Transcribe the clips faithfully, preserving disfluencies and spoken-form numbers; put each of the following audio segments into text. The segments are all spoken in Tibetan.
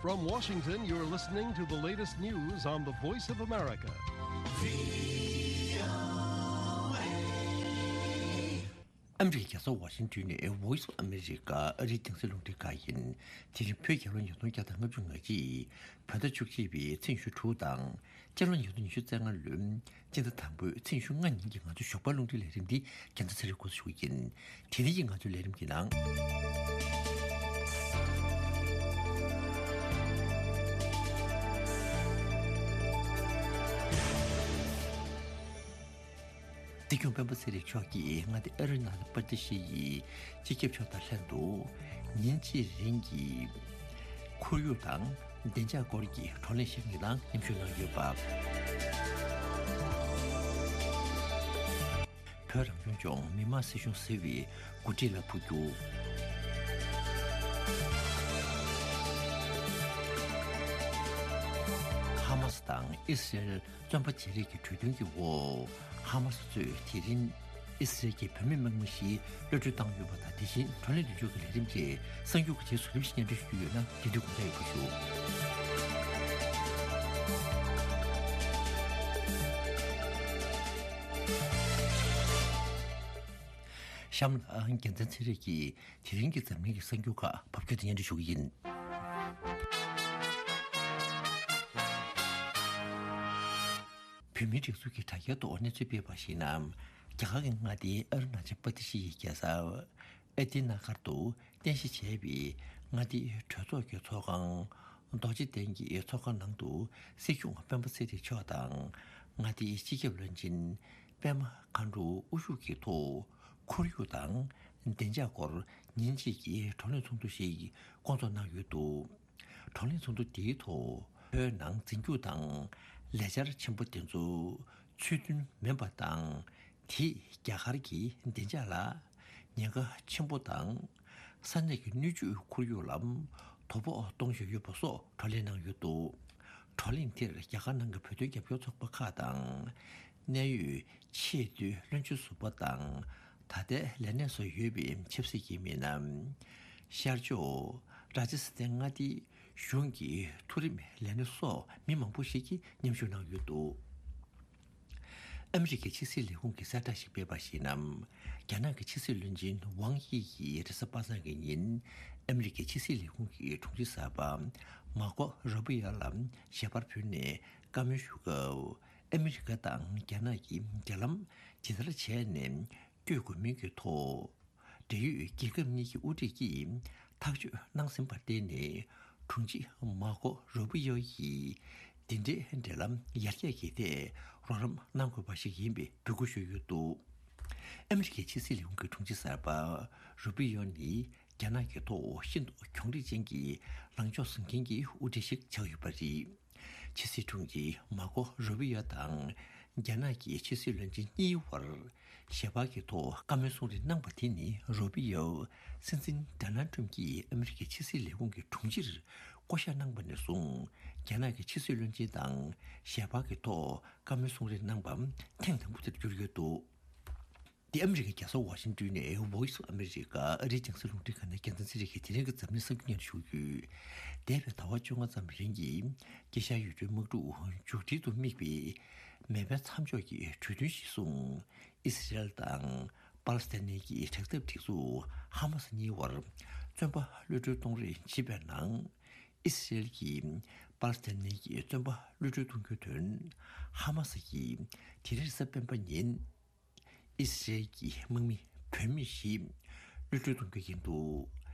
From Washington, you're listening to the latest news on the Voice of America. ཨ་མི་རི་ཀའི་རྒྱལ་ས་ཝ་ཤིང་ཏོན་ནས་Voice of America ཨ་རིའི་རྒྱང་སྲིང་རླུང་འཕྲིན་ཁང་ཡིན། དེ་རིང་བོད་རྒྱལ་ལོ་ཉིས་སྟོང་བརྒྱ་དང་ལྔ་བཅུ་ང་གཅིག་བོད་ཟླ་བཅུ་གཅིག་པའི་ཚེས་ཉི་ཤུ་དྲུག་དང་། སྤྱི་ལོ་ཉིས་སྟོང་ཉི་ཤུ་རྩ་ལྔ་ལོའི་སྤྱི་ཟླ་དང་པོའི་ཚེས་ཉི་ཤུ་ལྔ་ཉིན་གྱི་ང་ཚོའི་ཞོགས་པ་རླུང་འཕྲིན་ལས་རིམ་འདི་རྒྱལ་མཚན་ཚེ་རིང་འགོ་འཛུགས་ཞུ་གི་ཡིན། དེ་རིང་གི་ང་ཚོའི་ལས་རིམ་གྱི་ནང་། སྲིད་སྐྱོང་སྤེན་པ་ཚེ་རིང་མཆོག་གིས་མངའ་སྡེ་ཨ་རུ་ན་ཅལ་པར་དི་ཤི་ཡི་སྤྱི་ཁྱབ་མཆོག་དང་ལྷན་དུ་ཉིན་གཅིག་རིང་གི་ཁོར་ཡུག་དང་བདེ་འཇགས་སྐོར་གྱི་བགྲོ་གླེང་ཞིག་གི་ནང་མཉམ་ཞུགས་གནང་ཡོད་པ། བོད་རང་སྐྱོང་ལྗོངས་མི་དམངས་སྲིད་གཞུང་ཟེར་བའི་འགོ་ཁྲིད་ལ་འཕོ་འགྱུར། ཧ་མ་སི་དང་ཨི་སི་རེལ་བཙོན་པ་བརྗེ་རེས་ཀྱི་གྲོས་མཐུན་གྱི་འོག་ཧ་མ་སི་གཙོས་དེ་རིང་ཨི་སི་རེལ་གྱི་བུད་མེད་དམག་མི་བཞི་གློད་གྲོལ་བཏང་ཡོད་པ་དང་། དེ་བཞིན་བགྲོ་གླེང་མདུན་ལྕོག་གི་ལས་རིམ་བཅས་གསར་འགྱུར་གྱི་རྗེས་སུ་རིམ་བཞིན་སྙན་སྒྲོན་ཞུ་རྒྱུ་ཡོད་ན་རྒྱུན་མཐུད་དགོངས་འཇགས་ཡོད་པ་ཞུ། གཤམ་ལ་རྒྱལ་མཚན་ཚེ་རིང་གིས་དེ་རིང་གི་འཛམ་གླིང་གི་གསར་འགྱུར་ཁག་ཕབ་སྒྱུར་དང་སྙན་སྒྲོན་ཞུ་གི་ཡིན། བོད་མིའི་སྒྲིག་འཛུགས་ཀྱི་དྲ་རྒྱའི་ཐོག་གནས་ཚུལ་སྤེལ་བར་གཞིགས་ན། རྒྱ་གར་གྱི་མངའ་སྡེའི་ཨ་རུ་ན་ཅལ་པར་དི་ཤི་ཡི་རྒྱལ་ས་ཨ་ཏི་ན་གར་དུ་རྟེན་གཞི་བྱས་པའི་མངའ་སྡེའི་གྲོས་ཚོགས་ཀྱི་ཚོགས་ཁང་རྡོ་རྗེ་གདན་གྱི་ཚོགས་ཁང་ནང་དུ་སྲིད་སྐྱོང་སྤེན་པ་ཚེ་རིང་མཆོག་དང་མངའ་སྡེའི་སྤྱི་ཁྱབ་བློན་ཆེན་པད་མ་མཁའ་འགྲོ་དབུ་བཞུགས་ཀྱི་ཐོག་ཁོར་ཡུག་དང་བདེ་འཇགས་སྐོར་ཉིན་གཅིག་གི་བགྲོ་གླེང་ཚོགས་འདུ་ཞིག་བསྐོང་ཚོགས་གནང་ཡོད་འདུག་བགྲོ་གླེང་ཚོགས་འདུ་འདིའི་ཐོག་བོད་ནང་འཛིན་སྐྱོང་དང་ལས་འཆར་ཆེན་པོ་དེ་ཚོ་ཚུལ་མཐུན་མིན་པ་དང་། དེས་རྒྱ་གར་གྱི་བདེ་འཇགས་ལ་ཉེན་ཁ་ཆེན་པོ་དང་། ས་གནས་ཀྱི་སྣོད་བཅུད་ཁོར་ཡུག་ལ་དོ་ཕོག་གཏོང་བཞིན་ཡོད་པ་སོགས་བགྲོ་གླེང་གནང་ཡོད་འདུག་བགྲོ་གླེང་དེར་རྒྱ་གར་ནང་གི་བོད་དོན་རྒྱབ་སྐྱོར་ཚོགས་པ་ཁག་དང་། གནད་ཡོད་ཆེས་མཐོའི་བློན་ཆེན་ཟུར་པ་དང་། ད་ལྟའི་ལས་གནས་སུ་ཡོད་པའི་ཆབ་སྲིད་ཀྱི་མི་སྣ། ཤར་ཕྱོགས་རཱ་ཇི་སི་ཐན་མངའ་སྡེའི་གཞུང་གི་མཐོ་རིམ་ལས་སྣེ་སོགས་མི་མང་པོ་ཞིག་གིས་མཉམ་ཞུགས་གནང་ཡོད་འདུག་ཨ་མི་རི་ཀའི་ཕྱི་སྲིད་ལས་ཁུངས་ཀྱིས་གསལ་བསྒྲགས་ཤིག་སྤེལ་བར་གཞིགས་ན། རྒྱ་ནག་གི་ཕྱི་སྲིད་བློན་ཆེན་ཝང་དབྱི་ཡིས་རེས་གཟའ་པ་སངས་ཀྱི་ཉིན་ཨ་མི་རི་ཀའི་ཕྱི་སྲིད་ལས་ཁུངས་ཀྱི་དྲུང་ཆེ་གསར་པ་མར་ཀོ་རུ་པི་ཡོ་ལ་ཞལ་པར་ཕུལ་ནས་བཀའ་མོལ་ཞུ་སྐབས། ཨ་མི་རི་ཀ་དང་རྒྱ་ནག་གིས་འབྲེལ་ལམ་ཇི་ལྟར་བྱས་ནས་བསྐྱོད་དགོས་མིན་གྱི་ཐོག་འབྲེལ་ཡོད་རྒྱལ་ཁབ་གཉིས་ཀྱི་དབུ་ཁྲིད་ཀྱིས་ཐག་གཅོད་གནང་ཟིན་པར་བརྟེན་ནས། དྲུང་ཆེ་མར་ཀོ་རུ་པི་ཡོ་ཡིས་འདི་འདྲའི་འབྲེལ་ལམ་ཡར་རྒྱས་ཀྱི་ཐད་རོགས་རམ་གནང་དགོས་པ་ཞིག་ཡིན་པའི་འབོད་སྐུལ་ཞུས་ཡོད་འདུག་ཨ་མི་རི་ཀའི་ཕྱི་སྲིད་ལས་ཁུངས་ཀྱི་དྲུང་ཆེ་གསར་པ་རུ་པི་ཡོ་ནི་རྒྱ་ནག་གི་ཐོག་ཤིན་ཏུ་གྱོང་རིག་ཅན་གྱི་ལངས་ཕྱོགས་བཟུང་མཁན་གྱི་དབུ་ཁྲིད་ཞིག་ཆགས་ཡོད་པ་རེད། ཕྱི་སྲིད་དྲུང་ཆེ་མར་ཀོ་རུ་པི་ཡོ་དང་རྒྱ་ནག་གི་ཕྱི་སྲིད་བློན་ཆེན་གཉིས་བར་ཞལ་པར་གྱི་ཐོག་བཀའ་མོལ་གསུང་རེས་གནང་བ་དེ་ནི་རུ་པི་ཡོ་སྲིད་འཛིན་ཌོ་ནལ་ཊམ་གྱིས་ཨ་མི་རི་ཀའི་ཕྱི་སྲིད་ལས་ཁུངས་ཀྱི་དྲུང་ཆེར་བསྐོ་གཞག་གནང་བ་ནས་བཟུང་རྒྱ་ནག་གི་ཕྱི་སྲིད་བློན་ཆེན་དང་ཞལ་པར་གྱི་ཐོག་བཀའ་མོལ་གསུང་རེས་གནང་པ་ཐེངས་དང་པོ་དེར་གྱུར་ཡོད་འདུག་འདི་ཨ་མི་རི་ཀའི་རྒྱལ་ས་ཝ་ཤིང་ཏོན་ནས་Voice of America ཨ་རིའི་རྒྱང་སྲིང་རླུང་འཕྲིན་ཁང་ནས་རྒྱལ་མཚན་ཚེ་རིང་གིས་དེ་རིང་གི་འཛམ་གླིང་གསར་འགྱུར་སྙན་ཞུ་ཡོད། འདས་པའི་ཟླ་བ་བཅོ་ལྔ་ཙམ་རིང་གི་དཀྱིལ་ཤར་ཡུལ་གྲུའི་དམག་འཁྲུག་མཇུག་སྒྲིལ་དུ་དམིགས་པའི་མེ་འཕེན་མཚམས་འཇོག་གི་གྲོས་མཐུན་གཞིར་བཟུང་། ཨི་སི་རེལ་དང་པ་ལི་སི་ཐན་ནི་གི་དྲག་འཐབ་སྒྲིག་འཛུགས་ཧ་མ་སི་གཉིས་བར་བཙོན་པ་གློད་གྲོལ་གཏོང་རེས་བྱེད་པའི་ནང་། ཨི་སི་རེལ་གྱིས་པ་ལི་སི་ཐན་ནི་གི་བཙོན་པ་གློད་གྲོལ་གཏོང་རྒྱུའི་དོན་ཧ་མ་སི་གིས་དེ་རིང་རེས་གཟའ་སྤེན་པ་ཉིན། ཨི་སི་རེལ་གྱི་དམག་མི་བུད་མེད་བཞི་གློད་གྲོལ་གཏོང་རྒྱུ་ཡིན་འདུག་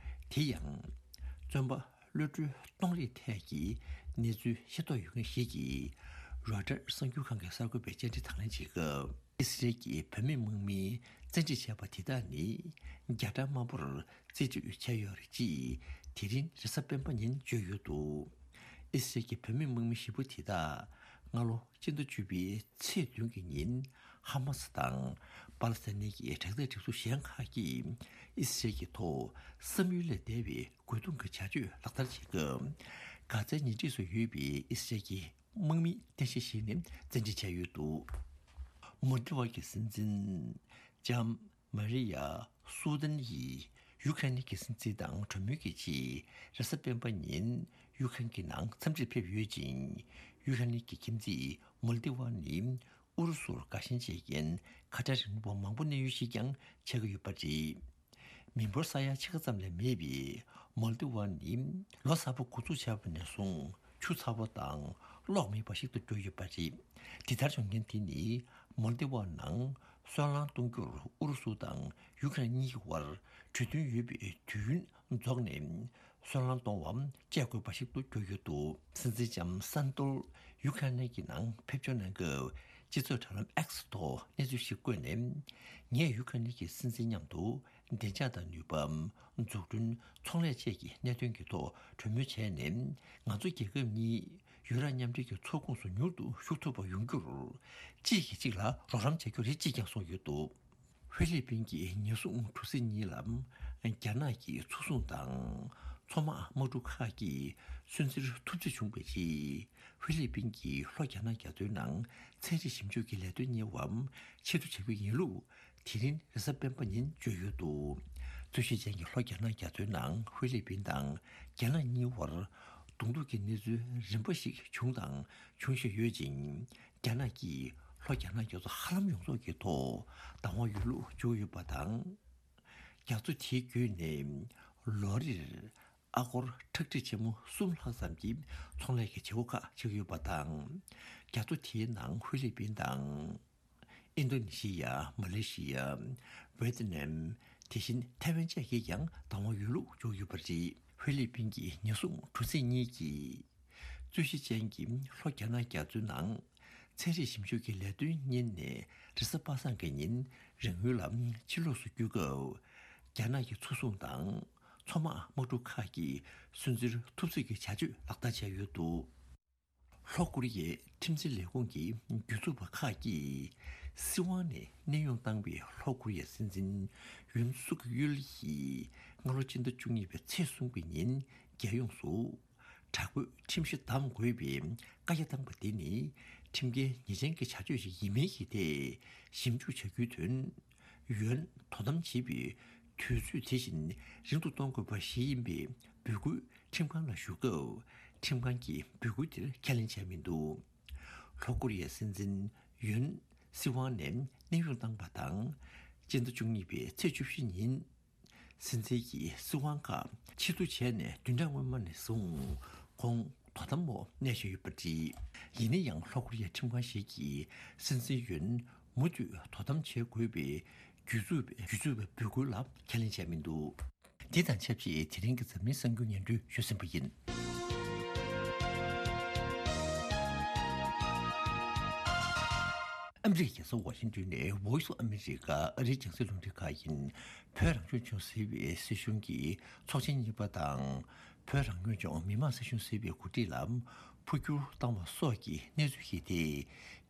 དེ་ཡང་། བཙོན་པ་གློད་གྲོལ་གཏོང་རེས་ཐད་ཀྱི་གནས་ཚུལ་ཤེས་རྟོགས་ཡོད་མཁན་ཞིག་གིས་རོའི་ཊར་གསར་འགྱུར་ཁང་གི་གསར་འགོད་པའི་བཅར་འདྲི་དང་ལེན་བྱེད་སྐབས། ཨི་སི་རེལ་གྱི་བུད་མེད་དམག་མིས་བཙན་ཁྲིད་བྱས་པ་དེ་དག་ནི་རྒྱ་གྲམ་དམར་པོར་རྩིས་སྤྲོད་བྱས་ཡོད་རེད་ཅེས་དེ་རིང་རེས་གཟའ་སྤེན་པ་ཉིན་བརྗོད་ཡོད་འདུག་ཨི་སི་རེལ་གྱི་བུད་མེད་དམག་མི་བཞི་པོ་དེ་དག་སྔ་ལོ། སྤྱི་ཟླ་བཅུ་པའི་ཚེས་བདུན་གྱི་ཉིན་ཧ་མ་སི་དང་པ་ལི་སི་ཐན་ནི་གི་དྲག་འཐབ་སྒྲིག་འཛུགས་གཞན་ཁག་གིས་ཨི་སི་རེལ་གྱི་ཐོག་བསམ་ཡུལ་ལས་འདས་པའི་རྒོལ་རྡུང་གི་བྱ་སྤྱོད་ལག་བསྟར་བྱེད་སྐབས། གྷ་ཛའི་ཉེ་འཁྲིས་སུ་ཡོད་པའི་ཨི་སི་རེལ་གྱི་དམག་མིའི་རྟེན་གཞི་ཞིག་ནས་བཙན་ཁྲིད་བྱས་ཡོད་འདུག་མོལ་ཌི་བ་གི་སྲིད་འཛིན་ལྕམ་མ་རི་ཡ་སུ་དན་ཡིས་ཡུ་ཁ་རེན་གྱི་སྲིད་འཛིན་དང་གྲོས་མོལ་གྱི་རྗེས་རེས་གཟའ་སྤེན་པ་ཉིན། གཡུས་ཁང་གི་ནང་འཚམས་འདྲིར་ཕེབས་ཡོད་ཅིང་། གཡུས་ཁ་ནི་གི་ཁྱིམ་མཚེས་མོལ་ཏི་ཝ་ནི་ཨུ་རུ་སུར་དགའ་ཞེན་བྱེད་མཁན་ཁ་བྲལ་རིང་ལུགས་པ་མང་པོ་གནས་ཡུལ་ཞིག་ཀྱང་ཆགས་ཀྱི་ཡོད་པ་རེད། མི་འབོར་ས་ཡ་ཕྱེད་ཀ་ཙམ་ལས་མེད་པའི་མོལ་ཏི་ཝ་ནི་ལོ་གསར་པ་འགོ་འཛུགས་བྱས་པ་ནས་བཟུང་ཆུ་ཚ་པོ་དང་གློག་མེད་པ་ཞིག་ཏུ་གྱུར་ཡོད་པ་རེད། འདི་ལྟར་བྱུང་རྐྱེན་དེ་ནི་མོལ་ཏི་ཝ་ནང་སོལ་རླངས་གཏོང་རྒྱུར་ཨུ་རུ་སུ་དང་ཡུ་ཀེ་རེན་གཉིས་ཀྱི་དབར་གྲོས་མཐུན་ཡོད་པའི་དུས་ཡུན་རྫོགས་ནས། སོལ་རླངས་གཏོང་བ་བཅད་དགོས་པ་ཞིག་ཏུ་གྱུར་ཡོད་འདུག་སྲིད་འཛིན་ལྕམ་སན་ཏོལ་ཡུ་ཁ་ནེ་གི་ནང་ཕེབས་འབྱོར་གནང་སྐབས་སྤྱི་ཚོགས་དྲ་ལམ་X་ཐོག་གནས་ཚུལ་ཞིག་བཀོད་ནས། ངས་ཡུ་ཁ་ནེ་གི་སྲིད་འཛིན་མཉམ་དུ་བདེ་འཇགས་དང་ནུས་པ། འཛུགས་སྐྲུན། ཚོང་ལས་བཅས་ཀྱི་གནད་དོན་གྱི་ཐོག་གྲོས་མོལ་བྱས་ནས། ང་ཚོ་རྒྱལ་ཁབ་གཉིས་ཡུ་རོབ་མཉམ་འབྲེལ་གྱི་ཚོགས་ཁོངས་སུ་མྱུར་དུ་ཞུགས་ཐུབ་པ་ཡོང་རྒྱུར་གཅིག་གིས་གཅིག་ལ་རོགས་རམ་བྱ་རྒྱུ་རེད་ཅེས་ཀྱང་གསུངས་ཡོད་འདུག་ཧྥི་ལི་པིན་གྱི་ཉེན་སྲུང་གྲུ་གཟིངས་གཉིས་ལ་རྒྱ་ནག་གི་མཚོ་སྲུང་དང་མཚོ་དམག་དམག་གྲུ་ཁག་གིས་སུན་གཙེར་ཐུབ་ཚོད་བྱུང་བའི་རྗེས། ཧྥི་ལི་པིན་གྱིས་ལྷོ་རྒྱ་ནག་རྒྱ་མཚོའི་ནང་ཚན་རིག་ཞིབ་འཇུག་གི་ལས་དོན་གཉེར་བ་ཕྱིར་བསྡུ་བྱ་རྒྱུ་ཡིན་ལུགས་དེ་རིང་རེས་གཟའ་སྤེན་པ་ཉིན་བརྗོད་ཡོད་འདུག་རྩོད་གཞི་ཅན་གྱི་ལྷོ་རྒྱ་ནག་རྒྱ་མཚོའི་ནང་ཧྥི་ལི་པིན་དང་རྒྱ་ནག་གཉིས་བར་གདོང་ཐུག་གི་གནས་ཚུལ་རིམ་པ་ཞིག་བྱུང་དང་འབྱུང་བཞིན་ཡོད་ཅིང་། རྒྱ་ནག་གིས་ལྷོ་རྒྱ་ནག་རྒྱ་མཚོ་ཧ་ལམ་ཡོངས་རྫོགས་ཀྱི་ཐོག་བདག་དབང་ཡོད་ལུགས་བརྗོད་ཡོད་པ་དང་། རྒྱ་མཚོ་དེའི་བརྒྱུད་ནས་ལོ་རེར་ཨ་སྒོར་ཁྲག་ཁྲིག་ཆེན་མོ་གསུམ་ལྷག་ཙམ་གྱི་ཚོང་ལས་ཀྱི་བྱེད་སྒོ་ཁག་ཆགས་ཡོད་པ་དང་། རྒྱ་མཚོ་དེའི་ནང་ཧྥི་ལི་པིན་དང་། ཨིན་རྡོ་ནི་ཤི་ཡ། མ་ལེ་ཤི་ཡ། ཝེ་ཏི་ནམ། དེ་བཞིན་ཐའེ་ཝན་བཅས་ཀྱིས་ཀྱང་བདག་དབང་ཡོད་ལུགས་བརྗོད་ཡོད་པ་རེད། ཧྥི་ལི་པིན་གྱི་ཉེན་སྲུང་གྲུ་གཟིངས་གཉིས་ཀྱིས། རྩོད་གཞི་ཅན་གྱི་ལྷོ་རྒྱ་ནག་རྒྱ་མཚོའི་ནང་ཚན་རིག་ཞིབ་འཇུག་གི་ལས་དོན་གཉེར་ནས་རེས་གཟའ་པ་སངས་ཀྱི་ཉིན་རང་ཡུལ་ལ་ཕྱིར་ལོགས་སུ་བསྐྱོད་སྐབས། རྒྱ་ནག་གི་མཚོ་སྲུང་དང་མཚོ་དམག་དམག་གྲུ་ཁག་གིས་སུན་གཙེར་ཐུབ་ཚོད་ཀྱི་བྱ་སྤྱོད་ལག་བསྟར་བྱས་ཡོད་འདུག་ལྷོ་ཀོ་རི་ཡའི་ཁྲིམས་འཛིན་ལས་ཁུངས་ཀྱི་སྒྱུར་བཅོས་པ་ཁག་གིས་སྲིད་དབང་ནས་གནས་དབྱུང་བཏང་བའི་ལྷོ་ཀོ་རི་ཡའི་སྲིད་འཛིན་ཡུན་སུག་ཡུལ་ཡིས་སྔ་ལོ་སྤྱི་ཟླ་བཅུ་གཉིས་པའི་ཚེས་གསུམ་གྱི་ཉིན་རྒྱལ་ཡོངས་སུ་དྲག་པོའི་ཁྲིམས་གཞི་བསྡམ་དགོས་པའི་བཀའ་རྒྱ་བཏང་པ་དེ་ནི་ཁྲིམས་འགལ་ཉེས་ཅན་གྱི་བྱ་སྤྱོད་ཞིག་ཡིན་མིན་གྱི་ཐད་ཞིབ་འཇུག་བྱ་རྒྱུའི་དོན། ཡོན་དོ་དམ་བྱེད་པའི་དུས་ཚོད་དེ་བཞིན་རིང་དུ་གཏོང་དགོས་པ་ཞིག་ཡིན་པའི་འབོད་སྐུལ་ཁྲིམས་ཁང་ལ་ཞུ་སྐབས། ཁྲིམས་ཁང་གིས་འབོད་སྐུལ་དེར་ཁས་ལེན་བྱས་མི་འདུག་ལྷོ་ཀོ་རི་ཡའི་སྲིད་འཛིན་ཡོན་སྲིད་དབང་ནས་གནས་དབྱུང་བཏང་པ་དང་། སྤྱི་ཟླ་བཅུ་གཉིས་པའི་ཚེས་བཅུ་བཞི་ཉིན། སྲིད་འཛིན་གྱི་སྲིད་དབང་ཁག་ཕྱིར་བསྡུ་བྱས་ནས་བདུན་ཕྲག་སྔོན་མ་ནས་བཟུང་ཁོང་དོ་དམ་འོག་གནས་བཞིན་ཡོད་པ་རེད། ཡིན་ན་ཡང་ལྷོ་ཀོ་རི་ཡའི་ཁྲིམས་ཁང་ཞིག་གིས་སྲིད་འཛིན་ཡོན་མུ་མཐུད་དོ་དམ་བྱེད་དགོས་པའི་སྒྱུར་བཅོས་སྒྱུར་བཅོས་པའི་འབོད་སྐུལ་ལ་ཁས་ལེན་བྱས་མི་འདུག་འདི་དང་ཆབས་ཅིག་དེ་རིང་གི་འཛམ་གླིང་གསར་འགྱུར་སྙན་སྒྲོན་ཞུས་ཟིན་པ་ཡིན། ཨ་མི་རི་ཀའི་རྒྱལ་ས་ཝ་ཤིང་ཏོན་ནས་Voice of America ཨ་རིའི་རྒྱང་སྲིང་རླུང་འཕྲིན་ཁང་ཡིན། བོད་རང་སྐྱོང་ལྗོངས་ཟེར་བའི་སྲིད་གཞུང་གི་ཚོགས་ཆེན་གཉིས་པ་དང་། བོད་རང་སྐྱོང་ལྗོངས་མི་དམངས་སྲིད་གཞུང་ཟེར་བའི་འགོ་ཁྲིད་ལ་འཕོ་འགྱུར་བཏང་བ་སོགས་ཀྱི་གནས་ཚུལ་ཞིག་དེ།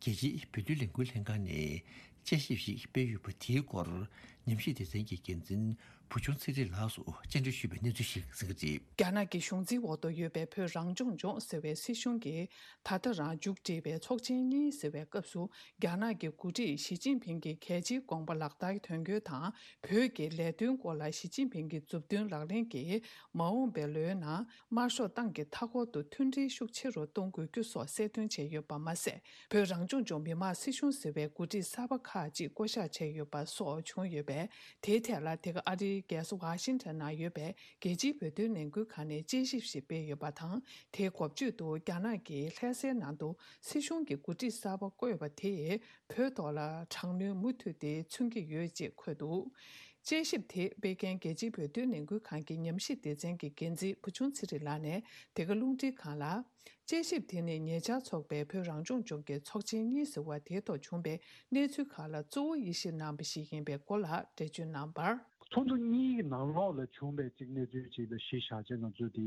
རྒྱལ་སྤྱིའི་བོད་དོན་ལས་འགུལ་ལྷན་ཁང་ནས་དཔྱད་ཞིབ་ཞིག་སྤེལ་ཡོད་པ་དེའི་སྐོར། ཉམས་ཞིབ་སྡེ་ཚན་གྱི་འགན་འཛིན་བུ་ཆུང་ཚེ་རིང་ལགས་སུ་བཅར་འདྲི་ཞུས་པའི་གནས་ཚུལ་ཞིག་གསན་གྱི་རེད། རྒྱ་ནག་གི་གཞུང་འཛིན་འོག་ཏུ་ཡོད་པའི་བོད་རང་སྐྱོང་ལྗོངས་ཟེར་བའི་སྲིད་གཞུང་གིས་ད་ལྟ་རང་མཇུག་སྒྲིལ་བའི་ཚོགས་ཆེན་གཉིས་ཟེར་བའི་སྐབས་སུ། རྒྱ་ནག་གི་འགོ་ཁྲིད་ཞི་ཅིན་ཕིང་གི་གལ་ཆེའི་དགོངས་པ་ལག་བསྟར་དོན་འཁྱོལ་དང་། བོད་ཀྱི་ལས་དོན་སྐོར་ལ་ཞི་ཅིན་ཕིང་གི་མཛུབ་སྟོན་ལག་ལེན་གྱིས། མ་འོངས་པའི་ལོའི་ནང་། དམར་ཤོག་ཏང་གི་མཐའ་འཁོར་དུ་མཐུན་སྒྲིལ་ཤུགས་ཆེ་རུ་གཏོང་དགོས་རྒྱུ་སོགས་གསལ་སྟོན་བྱས་ཡོད་པ་མ་ཟད། བོད་རང་སྐྱོང་ལྗོངས་མི་དམངས་སྲིད་གཞུང་ཟེར་བའི་འགོ་ཁྲིད་གསར་པ་ཁག་ཅིག་བསྐོ་གཞག་བྱས་ཡོད་པ་སོགས་བྱུང་ཡོད་པས། དེའི་ཐད་ལ་དེ་ག་ཨ་རིའི་རྒྱལ་ས་ཝ་ཤིང་ཊོན་ནང་ཡོད་པའི་རྒྱལ་སྤྱིའི་བོད་དོན་ལས་འགུལ་ཁང་ནས་དཔྱད་ཞིབ་ཞིག་སྤེལ་ཡོད་པ་དང་། དེའི་འགོ་བརྗོད་དུ་རྒྱ་ནག་གིས་ལྷ་སའི་ནང་དུ་སྲིད་གཞུང་གི་འགོ་ཁྲིད་གསར་པ་བསྐོས་པ་དེས་བོད་ཐོག་ལ་དྲག་གནོན་མུ་མཐུད་དེ་མཚོན་གྱི་ཡོད་ཅེས་འཁོད་འདུག་དཔྱད་ཞིབ་དེ་སྤེལ་མཁན་རྒྱལ་སྤྱིའི་བོད་དོན་ལས་འགུལ་ཁང་གི་ཉམས་ཞིབ་སྡེ་ཚན་གྱི་འགན་འཛིན་བུ་ཆུང་ཚེ་རིང་ལགས་ནས་དེ་ག་རླུང་འཕྲིན་ཁང་ལ། དཔྱད་ཞིབ་དེ་ནི་ཉེ་ཆར་འཚོགས་པའི་བོད་རང་སྐྱོང་ལྗོངས་ཀྱི་ཚོགས་ཆེན་གཉིས་ཟེར་བ་དེའི་ཐོག་བྱུང་བའི་གནས་ཚུལ་ཁག་ལ་གཙོ་བོ་དབྱེ་ཞིབ་གནང་བ་ཞིག་ཡིན་པའི་སྐོར་ལ་འགྲེལ་བརྗོད་གནང་བར། ཚོགས་འདུ་གཉིས་ཀྱི་ནང་ལོགས་ལ་བྱུང་བའི་གཅིག་གནས་ཚུལ་གཅིག་ལ་གཞི་བཞག་བྱས་ང་ཚོས་དེ་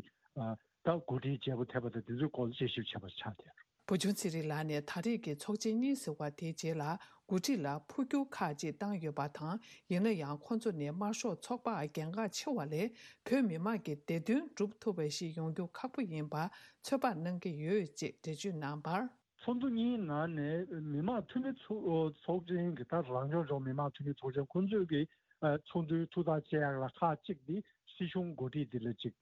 ད་གོ་སྒྲིག་བྱས་པ་ཐེབས་པ་དང་དེ་ཚོའི་སྐོར་ལ་དཔྱད་ཞིབ་བྱས་པ་ཆགས་བསྡད། བུ་ཆུང་ཚེ་རིང་ལགས་ནས་ད་རེས་ཀྱི་ཚོགས་ཆེན་གཉིས་ཟེར་བ་དེའི་རྗེས་ལ་འགོ་ཁྲིད་ལ་འཕོ་འགྱུར་ཁག་ཅིག་བཏང་ཡོད་པ་དང་། ཡིན་ན་ཡང་ཁོང་ཚོ་ནས་དམར་ཤོག་ཚོགས་པར་གྱེན་འགག་ཆེ་བ་ལས་བོད་མི་མང་གི་བདེ་དོན་སྒྲུབ་ཐུབ་པ་ཞིག་ཡོང་རྒྱུ་ཁག་པོ་ཡིན་པ་ཚོད་དཔག་གནང་གི་ཡོད་ཅེས་འགྲེལ་བརྗོད་གནང་བར། ཚོགས་འདུ་གཉིས་ནང་ནས་མི་དམངས་འཐུས་མི་ཚོགས་ཚོགས་ཆེན་གྱི་ད་རང་སྐྱོང་ལྗོངས་མི་དམངས་འཐུས་མི་ཚོགས་ཆེན་ཁོང་ཚོས་ཀྱི་ཚོགས་འདུའི་ཐུགས་ཐག་བཅད་ཡག་ལ་ཁག་གཅིག་འདི་སྲིད་གཞུང་འགོ་ཁྲིད་འདི་ལ་ཅིག་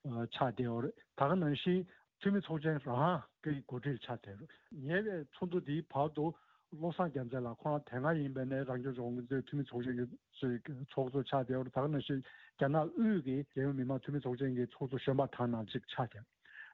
ཆགས་བསྡད་ཡོད་རེད། ད་ག་ནང་བཞིན་འཐུས་མི་ཚོགས་ཆེན་རང་གི་འགོ་ཁྲིད་ཆགས་བསྡད་ཡོད་རེད། ཉེ་བའི་ཚོགས་འདུ་འདིའི་བར་དུ་བློ་བཟང་རྒྱལ་མཚན་ལགས་ཁོང་རང་དེ་སྔ་ཡིན་པ་ནས་རང་སྐྱོང་ལྗོངས་ཀྱི་འཐུས་མི་ཚོགས་ཆེན་གྱི་ཚོགས་གཙོ་ཆགས་བསྡད་ཡོད་རེད། ད་ག་ནང་བཞིན་རྒྱ་ནག་དབུས་ཀྱི་རྒྱལ་ཡོངས་མི་དམངས་འཐུས་མི་ཚོགས་ཆེན་གྱི་ཚོགས་གཙོ་གཞོན་པ་དག་ནང་གཅིག་ཆགས་བསྡད་ཡོད།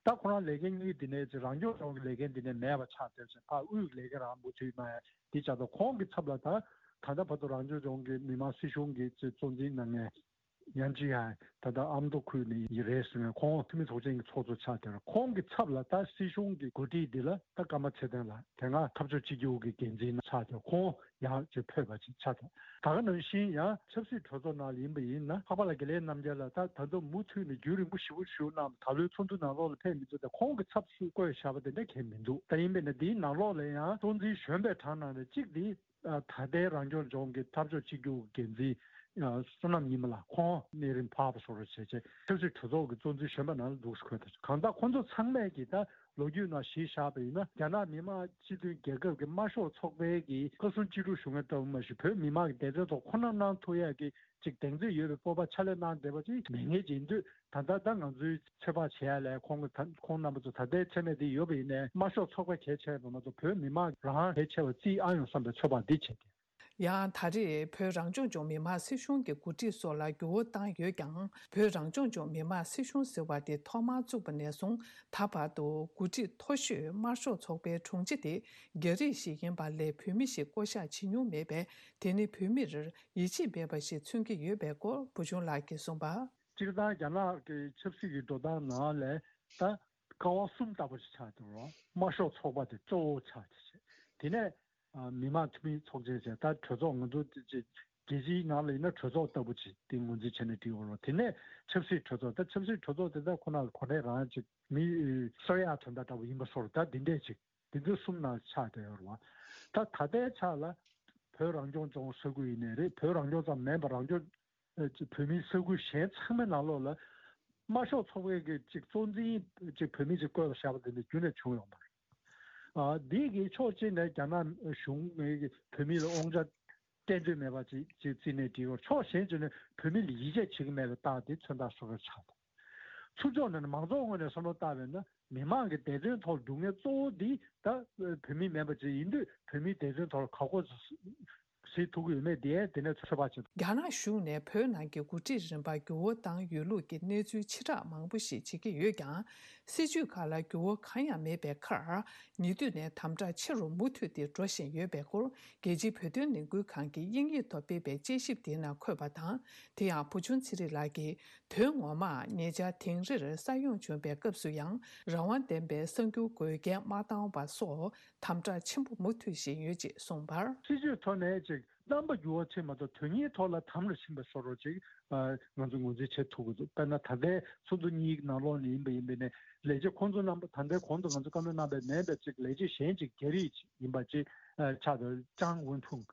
ད་ཁོ་རང་ལས་འགན་གཉིས་འདི་ནས་རང་སྐྱོང་ལྗོངས་ཀྱི་ལས་འགན་འདི་ནས་མེད་པ་ཆགས་བསྡད་ཅིང་ཕར་དབུས་ཀྱི་ལས་འགན་རང་མུ་མཐུད་གནང་ཡ་འདི་བྱ་ཐབས། ཁོང་གི་ཚབ་ལ་ད་ད་ལྟ་བར་དུ་རང་སྐྱོང་ལྗོངས་ཀྱི་མི་དམངས་སྲིད་གཞུང་གི་གཙོ་འཛིན་གནང་མཁན་ཡན་ཅི་ཡང་ད་ལྟ་ཨ་མདོ་ཁུལ་ནས་ཡིན་རེད་ཟེར་མཁན་ཁོང་འཐུས་མི་ཚོགས་ཆེན་གྱི་ཚོགས་གཙོ་ཆགས་བསྡད་རེད། ཁོང་གི་ཚབ་ལ་ད་སྲིད་གཞུང་གི་འགོ་ཁྲིད་འདི་ལ་ད་ཀརྨ་ཚེ་བརྟན་ལགས་དེ་སྔ་འཐབ་ཕྱོགས་གཅིག་གྱུར་གྱི་འགན་འཛིན་ཆགས་བསྡད། ཁོང་ཡང་ཅིག་ཕེབས་པ་ཅིག་ཆགས་བསྡད། ད་ག་ནང་བཞིན་ཡང་ཆབ་སྲིད་གྲོས་ཚོགས་ནང་ལ་ཡིན་པ་ཡིན་ན་འཕགས་པ་ལགས་དགེ་ལེགས་རྣམ་རྒྱལ་ལགས་ད་ད་དུང་མུ་མཐུད་ནས་རྒྱུན་རིང་པོ་ཞེ་པོ་བཞུགས་གནང་། ད་ལོའི་ཚོགས་འདུ་ནང་ལོགས་ལ་ཕེབས་མི་འདུག་ད་ཁོང་གི་ཚབ་སུ་བསྐོས་བཞག་པ་དེ་འདྲ་གང་ཡང་མི་འདུག་ད་ཡིན་པས་ན་འདིའི་ནང་ལོགས་ལ་ཡང་གཙོ་འཛིན་གཞོན་པའི་གྲས་ནང་ནས་གཅིག་འདི་ཨ་ད་ལྟའི་རང་སྐྱོང་ལྗོངས་ཀྱི་འཐབ་ཕྱོགས་གཅིག་གྱུར་འགན་འཛིན་ཨ་བསོད་ནམས་ཉི་མ་ལགས། ཁོང་གནས་རིམ་འཕར་བ་བཟོ་འདྲ་བྱས་བྱས་ཆབ་སྲིད་གྲོས་ཚོགས་ཀྱི་གཙོ་འཛིན་གཞོན་པ་ནང་ལ་འདུག་སེ་འཁོད་ད། གང་ལྟར་ཁོང་ཚོ་ཚང་མས་ཀྱིས་ད་ལོ་རྒྱུས་ནང་གཞི་བཞག་པ་ཡིན་ན་རྒྱ་ནག་མི་དམངས་སྤྱི་མཐུན་རྒྱལ་ཁབ་ཀྱི་དམར་ཤོག་ཚོགས་པའི་གི་བཀའ་ཟུར་སྤྱི་ཁྱབ་ཞུ་མཁན་ལྟ་བུ་མ་གཞི་བོད་མི་མང་གི་བདེ་དོན་ཐོག་ཁོ་ན་གནང་ཐུབ་ཡག་གི་ཅིག་གདེང་ཚོད་ཡོད་པའི་སྤོབས་པ་ཕྱག་ལས་གནང་བསྡད་པ་ཅིག་མེད་མཁན་ཅིག་ཡིན་དུས། ད་ལྟ་ད་ང་ཚོའི་ཚོད་དཔག་བྱེད་ཡ་ལས་ཁོང་གི་ད་ཁོང་རྣམ་པ་ཚོ་ད་ལྟའི་མཚན་གནས་འདི་ཡོད་པ་ཡིན་ནའི་དམར་ཤོག་ཚོགས་པ་གལ་ཆེ་བ་མ་གཏོགས་བོད་མི་མང་རང་གལ་ཆེ་བ་བརྩིས་ཨ་ཡོང་བསམ་པའི་ཚོད་དཔག་འདི་བྱེད་དེ། ཡང་ད་རེས་བོད་རང་སྐྱོང་ལྗོངས་མི་དམངས་སྲིད་གཞུང་གི་འགོ་ཁྲིད་སོགས་ལ་འགྱུར་བ་བཏང་ཡོད་ཀྱང་། བོད་རང་སྐྱོང་ལྗོངས་མི་དམངས་སྲིད་གཞུང་ཟེར་བ་དེ་ཐོག་མར་བཙུགས་པ་ནས་བཟུང་ད་བར་དུ་འགོ་ཁྲིད་མཐོ་ཤོས་དམར་ཤོག་ཚོགས་པའི་དྲུང་ཆེ་དེ་རྒྱ་རིགས་ཤིག་ཡིན་པ་ལས་བོད་མི་ཞིག་བསྐོ་གཞག་བྱེད་མྱོང་མེད་པས། དེ་ནི་བོད་མིར་ཡིད་ཆེས་མེད་པ་ཞིག་མཚོན་གྱི་ཡོད་པའི་སྐོར་བུ་ཆུང་ལགས་ཀྱིས་གསུངས་པ། སྤྱིར་བཏང་རྒྱ་ནག་གི་ཆབ་སྲིད་ཀྱི་འགྲོ་སྟངས་ནང་ལས་ད་ཀ་བ་གསུམ་ལྟ་བུ་ཞིག་ཆགས་འདུག་རོགས། དམར་ཤོག་ཚོགས་པ་དེ་གཙོ་བོ་ཆགས་ཀྱི་བྱས། དེ་ནས་ཨ་མི་དམངས་འཐུས་མི་ཚོགས་ཆེན་བྱས། ད་གྲོས་ཚོགས་ང་ཚོ་དེ་ཅིག་རྒྱལ་སྤྱིའི་ནང་ལ་ཡིན་ན་གྲོས་ཚོགས་ལྟ་བུ་ཅིག་དེ་ངོས་འཛིན་བྱས་ནས་བྲིས་ཡོད་རོགས། དེ་ནས་ཆབ་སྲིད་གྲོས་ཚོགས། ད་ཆབ་སྲིད་གྲོས་ཚོགས་དེ་ད་ཁོ་ན་ལ་གོ་གནས་རང་ཅིག་མི་གསོ་ཡག་དོན་དག་འདྲ་བོ་ཡིན་པ་བཟོ་འདྲ་ད་འདི་འདྲས་ཅིག་འདི་ཚོ་གསུམ་ནང་ཆགས་བསྡད་ཡོད་རེད་བ། ད་ད་ལྟའི་ཆ་ལ་བོད་རང་སྐྱོང་ལྗོངས་ས་ཁུལ་ཡིན་ནའི་རེད། བོད་རང་སྐྱོང་ཙམ་མིན་པར་རང་སྐྱོང་ཨ་ཅིག་བོད་མིའི་ས་ཁུལ་གཞན་ཚང་མའི་ནང་ལོགས་ལ་དམར་ཤོག་ཚོགས་པའི་གི་ཅིག་གཙོ་འཛིན་ཅིག་བོད་མི་ཅིག་བསྐོས་པ་བཞག་པ་དེ་འདྲ་རྒྱུན་ནས་བྱུང་ཡོད་མ་རེད། ཨ་འདི་གི་ཕྱོགས་གཅིག་ནས་རྒྱ་ནག་གཞུང་གིས་བོད་མི་ལ་དབང་ཆ་གཏན་ཚོད་མེད་པ་ཅིག་ཅིག་བརྩིས་ནས་བྲིས་ཡོད། ཕྱོགས་གཞན་ཅིག་ནས་བོད་མི་ལ་ཡིད་ཆེས་བྱེད་ཀྱི་མེད་པའི་རྟགས་དེ་མཚོན་རྟགས་བཟོ་འདྲ་ཆགས་འདུག་ཚུར་ཕྱོགས་ནས་མང་ཚོགས་ངོས་ནས་བསམ་བློ་བཏང་བས་ན་མི་མང་གི་བདེ་དོན་ཐོག་སྡུག་བསྔལ་གཙོ་བོ་འདི་ད་བོད་མི་མིན་པ་ཅིག་ཡིན་དུས་བོད་མིའི་བདེ་དོན་ཐོག་ག་གོ་གཟིགས་ཐུབ་ཀྱི་ཡོད་མེད་དེ་དེ་ནས་ཚོད་དཔག་བྱེད། རྒྱ་ནག་གཞུང་ནས་བོད་ནང་གི་འགོ་ཁྲིད་རིམ་པར་འགྱུར་བ་བཏང་ཡོད་ལུགས་ཀྱི་གནས་ཚུལ་ཕྱི་བསྒྲགས་མང་པོ་ཞིག་བྱེད་ཀྱི་ཡོད་ཀྱང་། སྲིད་བྱུས་ཁག་ལ་འགྱུར་བ་གང་ཡང་མེད་པའི་ཁར། ཉེ་དུས་ནས་དམ་དྲག་ཆེ་རུ་མུ་མཐུད་དེ་འགྲོ་བཞིན་ཡོད་པའི་སྐོར་རྒྱལ་སྤྱིའི་བོད་དོན་ལས་འགུལ་ཁང་གིས་དབྱིན་ཡིག་ཐོག་སྤེལ་བའི་དཔྱད་ཞིབ་དེའི་ནང་འཁོད་པ་དང་། དེ་ཡང་བུ་ཆུང་ཚེ་རིང་ལགས་ཀྱིས། དོན་ངོ་མར་ཉེ་ཆར་དིང་རིར་ས་ཡོམ་བྱུང་བའི་སྐབས་སུ་ཡང་རང་དབང་ལྡན་པའི་གསར་འགྱུར་འགོད་མཁན་མ་བཏང་བ་སོགས་དམ་དྲག་ཆེན་པོ་མུ་མཐུད་བཞིན་ཡོད་ཅེས་གསུངས་པར། སྲིད་བྱུས་ཐོག་ནས་ཅིག་རྣམ་པ་འགྱུར་བ་ཕྱིན་མ་གཏོགས་དོན་སྙིང་ཐོག་ལ་དམ་ལ་ཕྱིན་པ་བཟོ་འདྲ་ཅིག་ང་ཚོ་ངོས་འཛིན་བྱེད་ཐུབ་ཀྱི་འདུག་དཔེར་ན་ད་ལྟའི་ཚོགས་འདུ་གཉིས་ཀྱི་ནང་ལོགས་ནས་ཡིན་པ་ཡིན་པས་ནས་ལས་བྱེད་ཁོང་ཚོ་རྣམ་པ་ད་ལྟའི་གོང་དུ་ང་ཚོ་བཀའ་མོལ་གནང་པའི་མིན་པའི་ཅིག་ལས་བྱེད་གཞན་ཅིག་རྒྱ་རིགས་ཅིག་ཡིན་པ་ཅིག་ཆགས་འདུག་ཅང་ཝུན་ཕུང་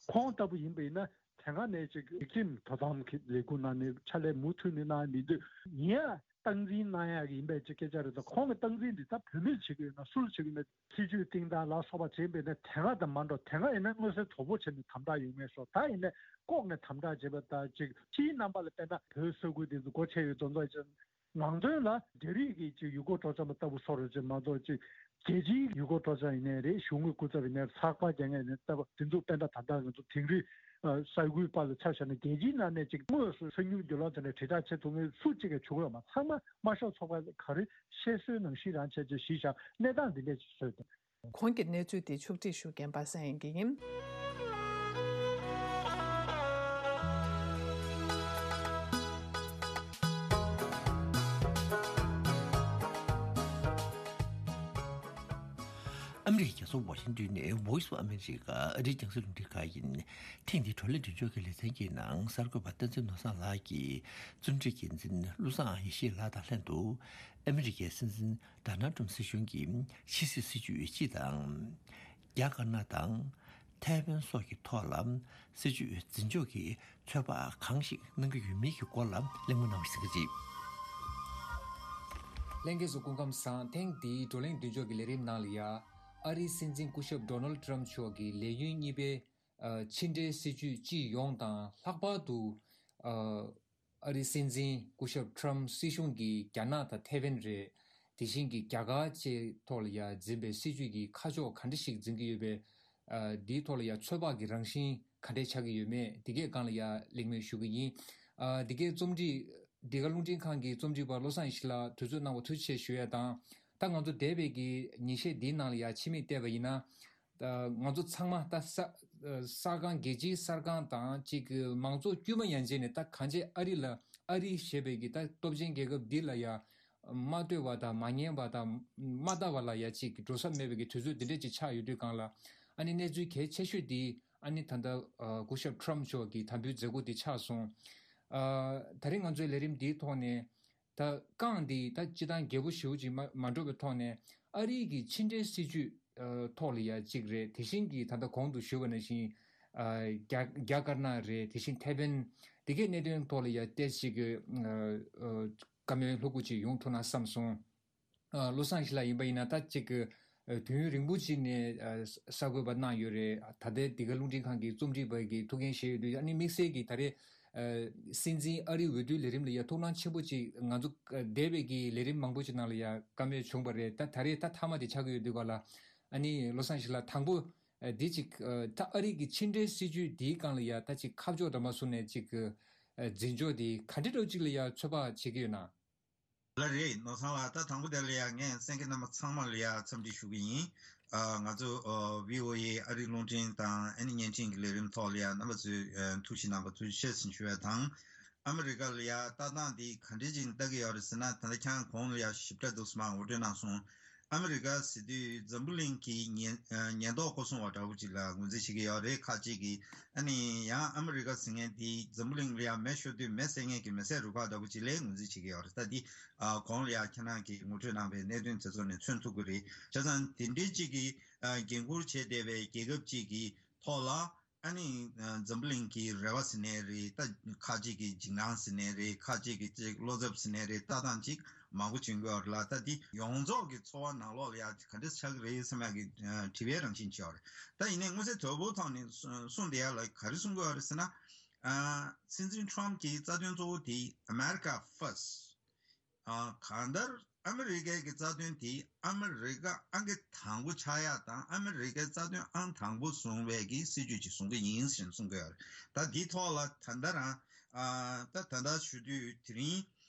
ཁོང་ལྟ་བུ་ཡིན་པ་ཡིན་ན། དེ་སྔ་ནས་ཅིག་སྒྲིག་ཁྲིམས་དོ་དམ་གྱི་ལས་ཁུངས་ནང་ནས་ཕྱག་ལས་མུ་མཐུད་ནས་གནང་མི་འདུག་ཡིན་ཡང་སྟངས་འཛིན་གནང་ཡག་གི་ཡིན་པའི་ཅིག་སྐད་ཆ་རེད་དོ། ཁོང་གི་སྟངས་འཛིན་འདི་ད་བོད་མིར་བྱེད་ཀྱི་ཡོད་ན་སུར་བྱེད་ཀྱི་མེད། སྲིད་ཇུས་བཏིང་སྟངས་ལ་སོགས་པ་བྱས་པས་ན་དེ་སྔ་དང་མ་འགྲོ། དེ་སྔ་ཡིན་ན་མངོན་གསལ་དོད་པོ་བྱས་ནས་དམ་དྲག་ཡོད་ངེས་སོ། ད་ཡིན་ན་ལྐོག་ནས་དམ་དྲག་བྱས་པ་ད་ཅིག་ཕྱིའི་རྣམ་པ་ལ་བལྟས་ན་བོད་ས་ཁུལ་འདི་ཚོ་སྒོ་ཕྱེ་ཡོད་དོན་ཚོ་ཅིག་ནང་དོན་ལ་རྒྱ་རིགས་ཀྱི་ཅིག་ཡུལ་སྐོར་སྤྲོ་འཆམ་ལྟ་བུ་བཟོ་འདྲ་ཅིག་མ་གཏོགས་ཅིག་རྒྱལ་སྤྱིའི་ཡུལ་སྐོར་སྤྲོ་འཆམ་ཡིན་ནའི་རེད། གཞུང་གི་སྐུ་ཚབ་ཡིན་ནའི་རེད། ཚགས་པར་རྒྱག་མཁན་ཡིན་ནའི་ལྟ་བུ་དེ་ཚོ་དཔེར་ན་ད་ལྟ་ང་ཚོ་དིང་རི་ས་ཁུལ་པ་ལ་ཆ་བཞག་ན་རྒྱལ་སྤྱིའི་ནང་ནས་ཅིག་དངོས་སུ་གསར་འགྱུར་བརྒྱུད་ལམ་དེ་འདྲ་དྲིལ་བསྒྲགས་བྱེད་ཐུབ་མཁན་སུ་གཅིག་ཀྱང་བྱུང་ཡོད་མ། ཚང་མ་དམར་ཤོག་ཚོགས་པ་ག་རེ་བཤད་སྲོལ་ནང་བཞིན་རང་བྱས་བྱས་གཞི་བཞག་གནས་སྟངས་འདི་འདྲས་ཅིག་བཟོས་ཏེ། གོང་གི་གནས་ཚུལ་དེ་ཕྱོགས་སྒྲིག་ཞུ་མཁན་པ་སངས་དབྱངས་སྐྱིད་ཡིན། ཨ་མི་རི་ཀའི་རྒྱལ་ས་ཝ་ཤིང་ཏོན་ནས་Voice of America ཨ་རིའི་རྒྱང་སྲིང་རླུང་འཕྲིན་ཁང་ཡིན། ཐེངས་འདིའི་བགྲོ་གླེང་མདུན་ལྕོག་གི་ལེ་ཚན་གྱི་ནང་གསར་འགོད་པ་བསྟན་འཛིན་ནོར་བཟང་ལགས་ཀྱིས་རྩོམ་སྒྲིག་འགན་འཛིན་བློ་བཟང་ཡེ་ཤེས་ལགས་དང་ལྷན་དུ་ཨ་མི་རི་ཀའི་སྲིད་འཛིན་ཌོ་ནལ་ཏྲམ་སྲིད་གཞུང་གི་ཕྱི་སྲིད་སྲིད་ཇུས་སྤྱི་དང་། རྒྱ་དཀར་ནག་དང་ཐའེ་ཝན་སོགས་ཀྱི་ཐོག་ལ་སྲིད་ཇུས་འཛིན་ཕྱོགས་ཀྱི་ཚོད་དཔག་གང་ཞིག་གནང་གི་ཡོད་མེད་ཀྱི་སྐོར་ལ་གླེང་མོལ་གནང་བ་ཞིག་གཟིགས་རྗེས། ལྷན་རྒྱས་ཚོ་སྐུ་ཁམས་བཟང་། ཐེངས་འདིའི་བགྲོ་གླེང་མདུན་ལྕོག་གི་ལས་རིམ་ནང་ལ་ཡ། ཨ་རིའི་སྲིད་འཛིན་སྐུ་ཞབས་ཌོ་ནལ་ཏྲམ་མཆོག་གི་ལས་ཡུན་གཉིས་པའི་ཨ་ཕྱི་འབྲེལ་སྲིད་ཇུས་སྤྱི་ཡོངས་དང་ལྷག་པར་དུ་ཨ་ ཨ་རིའི་སྲིད་འཛིན་སྐུ་ཞབས་ཊམ་སྲིད་གཞུང་གིས་རྒྱ་ནག་དང་ཐའེ་ཝན་རེད། དེ་བཞིན་གྱི་རྒྱ་གར་བཅས་ཐོག་ལ་ཡ་འཛིན་པའི་སྲིད་ཇུས་ཀྱི་ཁ་ཕྱོགས་ག་འདྲ་ཞིག་འཛིན་གྱི་ཡོད་པས། ཨ་འདིའི་ཐོག་ལ་ཡ་ཚོད་དཔག་གི་རང་བཞིན་ག་འདྲས་ཆགས་ཀྱི་ཡོད་མེད་དེ་གའི་སྒང་ལ་ཡ་གླེང་མོལ་ཞུ་གི་ཡིན། ཨ་འདི་གའི་རྩོམ་སྒྲིག་འདི་ག་རླུང་འཕྲིན་ཁང་གི་རྩོམ་སྒྲིག་པ་བློ་བཟང་ཡེ་ཤེས་ལགས་དུས་ཚོད་གནང་བ་ཐུགས་རྗེ་ཆེ་ཞུ་ཡ་དང་། ད་ང་ཚོ་འདས་པའི་གི་ཉིན་ཤས་འདིའི་ནང་ལ་ཡ་ཕྱི་མིག་བལྟས་པ་ཡིན་ན། ད་ང་ཚོ་ཚང་མ་ད་ས་གསར་ཁང་རྒྱལ་སྤྱིའི་གསར་ཁང་དང་གཅིག་གི་མང་ཚོགས་དཀྱུས་མ་ཡན་ཆད་ནས་ད་གང་ཅི་ཨ་རི་ལ་ཨ་རི་ཞེས་པའི་གི་ད་སྟོབས་ཆེན་རྒྱལ་ཁབ་འདི་ལ་ཡ་མ་ལྟོས་པ་དང་མ་ཉན་པ་དང་མ་ལྟ་བ་ལ་ཡ་གཅིག་གི་འགྲོ་ས་མེད་པའི་གི་དུས་ཚོད་འདི་འདྲས་ཅིག་ཆགས་ཡོད་དུས་སྒང་ལ། ཨ་ནི་གནས་ཚུལ་གལ་ཆེ་ཤོས་འདི་ཨ་ནི་ད་ལྟ་ཨ་སྐུ་ཞབས་ཊམ་མཆོག་གི་དམ་འབུལ་མཛད་སྒོ་འདི་ཆགས་སོང་། ཨ་ད་རེས་ང་ཚོའི་ལས་རིམ་འདིའི་ཐོག་ནས། ད་རྐང་འདི་ད་སྤྱི་བཏང་རྒྱས་པོ་ཞེ་པོ་ཅིག་མ་མ་འགྲོ་བའི་ཐོག་ནས་ཨ་རིའི་གི་ཕྱི་འབྲེལ་སྲིད་ཇུས་ཨ་ཐོག་ལ་ཡ་གཅིག་རེད། དེ་བཞིན་གྱི་ད་ལྟ་གོང་དུ་ཞུས་པ་ནང་བཞིན་ཨ་རྒྱ་རྒྱ་དཀར་ནག་རེད། དེ་བཞིན་ཐའེ་ཝན་འདི་གའི་གནད་དོན་ཐོག་ལ་ཡ་ཏོག་ཙམ་གྱི་ཨ་ཨ་བཀའ་མོལ་ལྷུག་པོ་ཅིག་ཡོང་ཐུབ་ན་བསམ་སོང་། ཨ་བློ་བཟང་ཡེ་ཤེས་ལགས་ཡིན་པ་ཡིན་ན་ད་གཅིག་གི་ཨ་དུས་ཡུན་རིང་པོ་ཅིག་ནས་ཨ་གསར་འགོད་པ་གནང་ཡོད་རེད། ད་ལྟའི་འདི་ག་རླུང་འཕྲིན་ཁང་གི་རྩོམ་སྒྲིག་པ་གི་ཐུགས་འགན་བཞེས་ཡོད་དུས་ཨ་ནི་དམིགས་བསལ་གྱི་ད་རེས་ཨ་སྲིད་འཛིན་ཨ་རིའི་འོས་བསྡུའི་ལས་རིམ་ལ་ཡ་ཐུགས་སྣང་ཆེན་པོ་ཅིག་ང་ཚོ་ཨ་འདས་པའི་གི་ལས་རིམ་མང་པོ་ཅིག་ནང་ལ་ཡ་བཀའ་མོལ་བྱུང་བ་རེད། ད་ད་རེས་ད་མཐའ་མ་དེ་ཆགས་ཀྱི་ཡོད་དུས་ག་ལ། ཨ་ནི་བློ་བཟང་ཡེ་ཤེས་ལགས་དང་པོ་ཨ་འདི་ཅིག་ཨ་ད་ཨ་རི་གི་ཕྱི་འབྲེལ་སྲིད་ཇུས་འདིའི་སྒང་ལ་ཡ་ད་ཅིག་ཁ་ཕྱོགས་འདྲ་མ་བཟུང་ནས་ཅིག་ཨ་འཛིན་ཕྱོགས་འདི་ག་འདྲ་འདྲ་ཅིག་ལ་ཡ་ཚོད་དཔག་བྱེད་ཀྱི་ཡོད་ན། ལགས་རེད། ནོར་བཟང་ལགས། ད་དང་པོ་དེ་ལ་ཡ་ངས་གསན་མཁན་རྣམ་པ་ཚང་མ་ལ་ཡ་འཚམས་འདྲི་ཞུ་གི་ཡིན། ཨ་ང་ཚོ་ཨ་བྷི་ཨོ་ཨེ་ཨ་རིའི་རླུང་འཕྲིན་དང་ཨ་ནི་བརྙན་འཕྲིན་གྱི་ལས་རིམ་ཐོག་ལ་ཡ་རྣམ་པ་ཚོས་ཨ་ཐུགས་ཞིབ་གནང་བ་ཐུགས་རྗེ་ཆེ་ཞུ་ཡ་དང་། ཨ་མི་རི་ཀ་ལ་ཡ་ལྟ་སྟངས་འདི་ག་འདྲས་ཅིག་ལྟ་གི་ཡོད་རེད་ཟེར་ན། ད་ལྟ་ཁྱེད་རང་གོང་ལ་ཡ་ཞིབ་ཕྲ་འདུག་སེ་མར་ངོ་སྤྲོད་གནང་སོང་། ཨ་མི་རི་ཀ་ཟེར་དུས་འཛམ་བུ་གླིང་གི་ཉེན་ཨ་ཉེན་རྟོག་སྐོར་སྲུང་བ་འདྲ་བོ་ཅིག་ལ་ངོས་འཛིན་བྱེད་ཀྱི་ཡོད་རེད། ཁག་ཅིག་གིས། ཨ་ནི་ཡང་ཨ་མི་རི་ཀ་ཟེར་མཁན་དེ་འཛམ་བུ་གླིང་ལ་ཡང་མེ་ཤོར་དུས་མེ་བསད་མཁན་གྱི་མེ་བསད་རུ་ཁག་འདྲ་བོ་ཅིག་ལ་ངོས་འཛིན་བྱེད་ཀྱི་ཡོད་རེད། ད་འདི་ཨ་གོང་ལ་ཡང་ཁྱེད་རང་གིས་ངོ་སྤྲོད་གནང་བའི་གནད་དོན་དེ་ཚོ་ནས་མཚོན་ཐུབ་ཀྱི་རེད། བྱས་ཙང་དེ་འདྲའི་ཅིག་གི་ཨ་འགན་འཁུར་བྱས་བསྡད་པའི་རྒྱལ་ཁབ་ཅིག་གི་ཐོག་ལ། ཨ་ནི་ཨ་འཛམ་བུ་གླིང་གི་རེ་བ་ཟེར་ནའི་རེད། ད་ཁག་ཅིག་གི་འཇིགས་སྣང་ཟེར་ནའི་རེད། ཁག་ཅིག་གི་ཅིག་བློ་འཚབ་ཟེར་ནའི་རེད། ལྟ་སྟངས་ཅིག་མང་པོ་བྱུང་གི་ཡོད་རེད་ལ། ད་འདི་ཡོངས་རྫོགས་ཀྱི་ཚོར་བ་ནང་ལོགས་ལ་ཡ་ག་འདྲ་ཆགས་ཀྱི་རེད་བསམ་ཡག་གི་ཨ་དྲི་བའི་རང་བཞིན་ཅིག་ཡོད་རེད། ད་ཡིན་ནའི་མངོན་གསལ་དོད་པོའི་ཐོག་ནས་གསུ་གསུངས་བསྡད་ཡག་ལ་ག་རེ་གསུང་གི་ཡོད་རེད་ཟེར་ན། ཨ་སྲིད་འཛིན་ཊམ་གྱི་རྩ་དོན་གཙོ་བོ་དེ་America First། ཨ་གང་ལྟར་ཨ་མི་རི་ཀའི་གི་རྩ་དོན་དེ་ཨ་མི་རི་ཀ་ཨང་ཀི་དང་པོ་ཆགས་ཡག་དང་ཨ་མི་རི་ཀའི་རྩ་དོན་ཨང་དང་པོ་བཟུང་བའི་གི་སྲིད་ཇུས་ཅིག་བཟུང་གི་ཡིན་ཞེས་གསུང་གི་ཡོད་རེད། ད་འདིའི་ཐོག་ལ་ད་ལྟ་རང་ཨ་ད་ད་ལྟ་ཞུ་དུས་དེ་རིང་